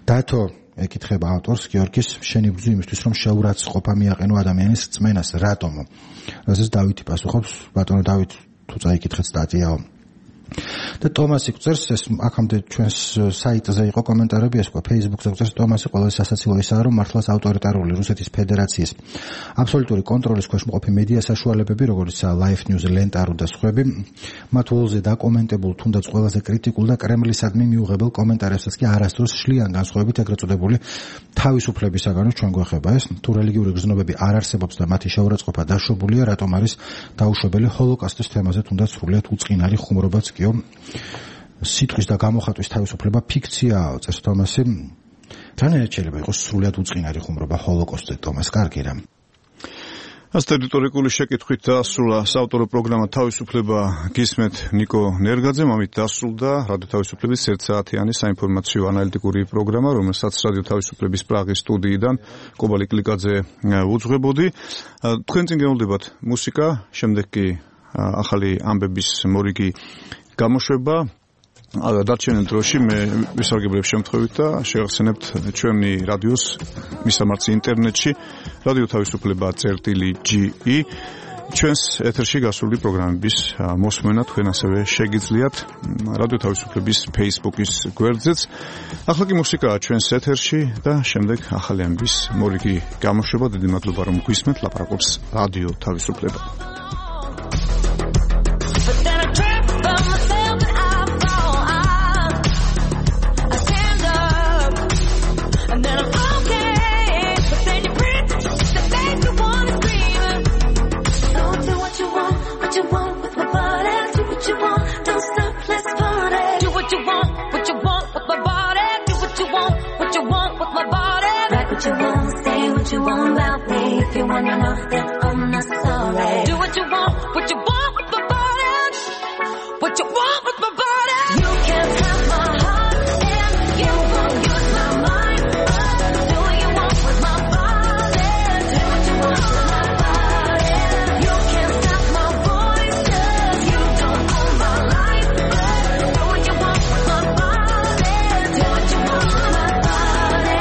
დათო ეკითხება ავტორს: გიორგის, შენი ბრძვი იმისთვის რომ შეურაცხყოფა მიაყენო ადამიანის რწმენას, რატომო? რაზეც დავითი პასუხობს: ბატონო დავით, თუ წაიკითხეთ სტატიაო. და ტომასი წერს, ეს აქამდე ჩვენს საიტზე იყო კომენტარები, ეს ყო Facebook-ზე წერს ტომასი: ყველაზე სასაცილო ისაა, რომ მართლაც ავტორიტარული რუსეთის ფედერაციის აბსოლუტური კონტროლის ქვეშ მყოფი მედია საშუალებები, როგორიცაა Life News, Lenta.ru და სხვები, მათ ულზე დაკომენტებულ, თუნდაც ყველაზე კრიტიკულ და კრემლისადმი მიუღებელ კომენტარებსაც კი არასდროს შლიან განსხვავებით ეგრეთ წოდებული თავისუფლებისაგანო. ჩვენ გვეხება ეს, თუ რელიგიური გრძნობები არ არსებობს და მათი შეურაცხყოფა დაშვებულია, რატომ არის დაუშვებელი ჰოლოკოსტის თემაზე თუნდაც სრულიად უწყინარი ხუმრობაც კი სიტყვის და გამოხატვის თავისუფლება ფიქციაა, წერს თომასი. რანაირად შეიძლება იყოს სრულიად უწყინარი ხუმრობა ჰოლოკოსტზე, თომას, კარგი რამ. ას ტერიტორიული შეკითხვით დასრულა საავტორო პროგრამა თავისუფლება, გისმენთ ნიკო ნერგაძემ, ამით დასრულდა რადიო თავისუფლების 1 საათიანი საინფორმაციო ანალიტიკური პროგრამა, რომელსაც რადიო თავისუფლების პრაღის სტუდიიდან კობალი კლიკაძე უძღვებოდი. თქვენ წინ გეულდებათ მუსიკა, შემდეგ კი ახალი ამბების მორიგი გამოშვება. დარჩენილ დროში მე ვისარგებლებ შემთხვევით და შევახსენებთ ჩვენი რადიოს მისამართი ინტერნეტში რადიო თავისუფლება.ge. ჩვენს ეთერში გასული პროგრამების მოსმენა თქვენ ასევე შეგიძლიათ რადიო თავისუფლების Facebook-ის გვერდზეც. ახლა კი მუსიკაა ჩვენს ეთერში და შემდეგ ახალი ამბების მორიგი გამოშვება. დიდი მადლობა რომ გვისმენთ, ლაპარაკობს რადიო თავისუფლება. You want about me if you wanna know that I'm not sorry. Do what you want with my body. What you want with my body. You can't have my heart and you won't use my mind. Do what you want with my body. Do what you want with my body. You can't stop my voice 'cause you don't own my life. Do what you want with my body. Do what you want with my body.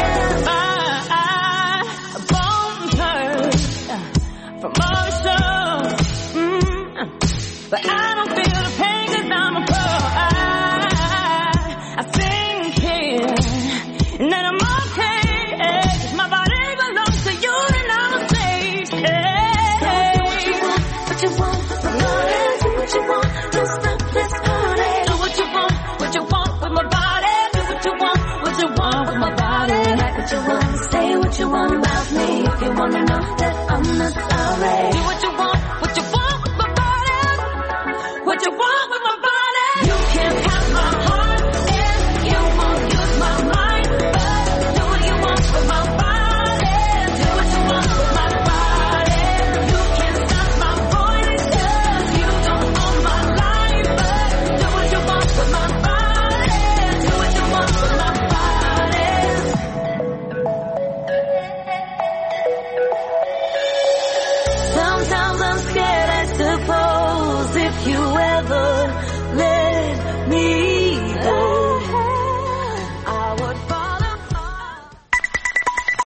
You wanna know that I'm not sorry. Do what you want, my body. What you want.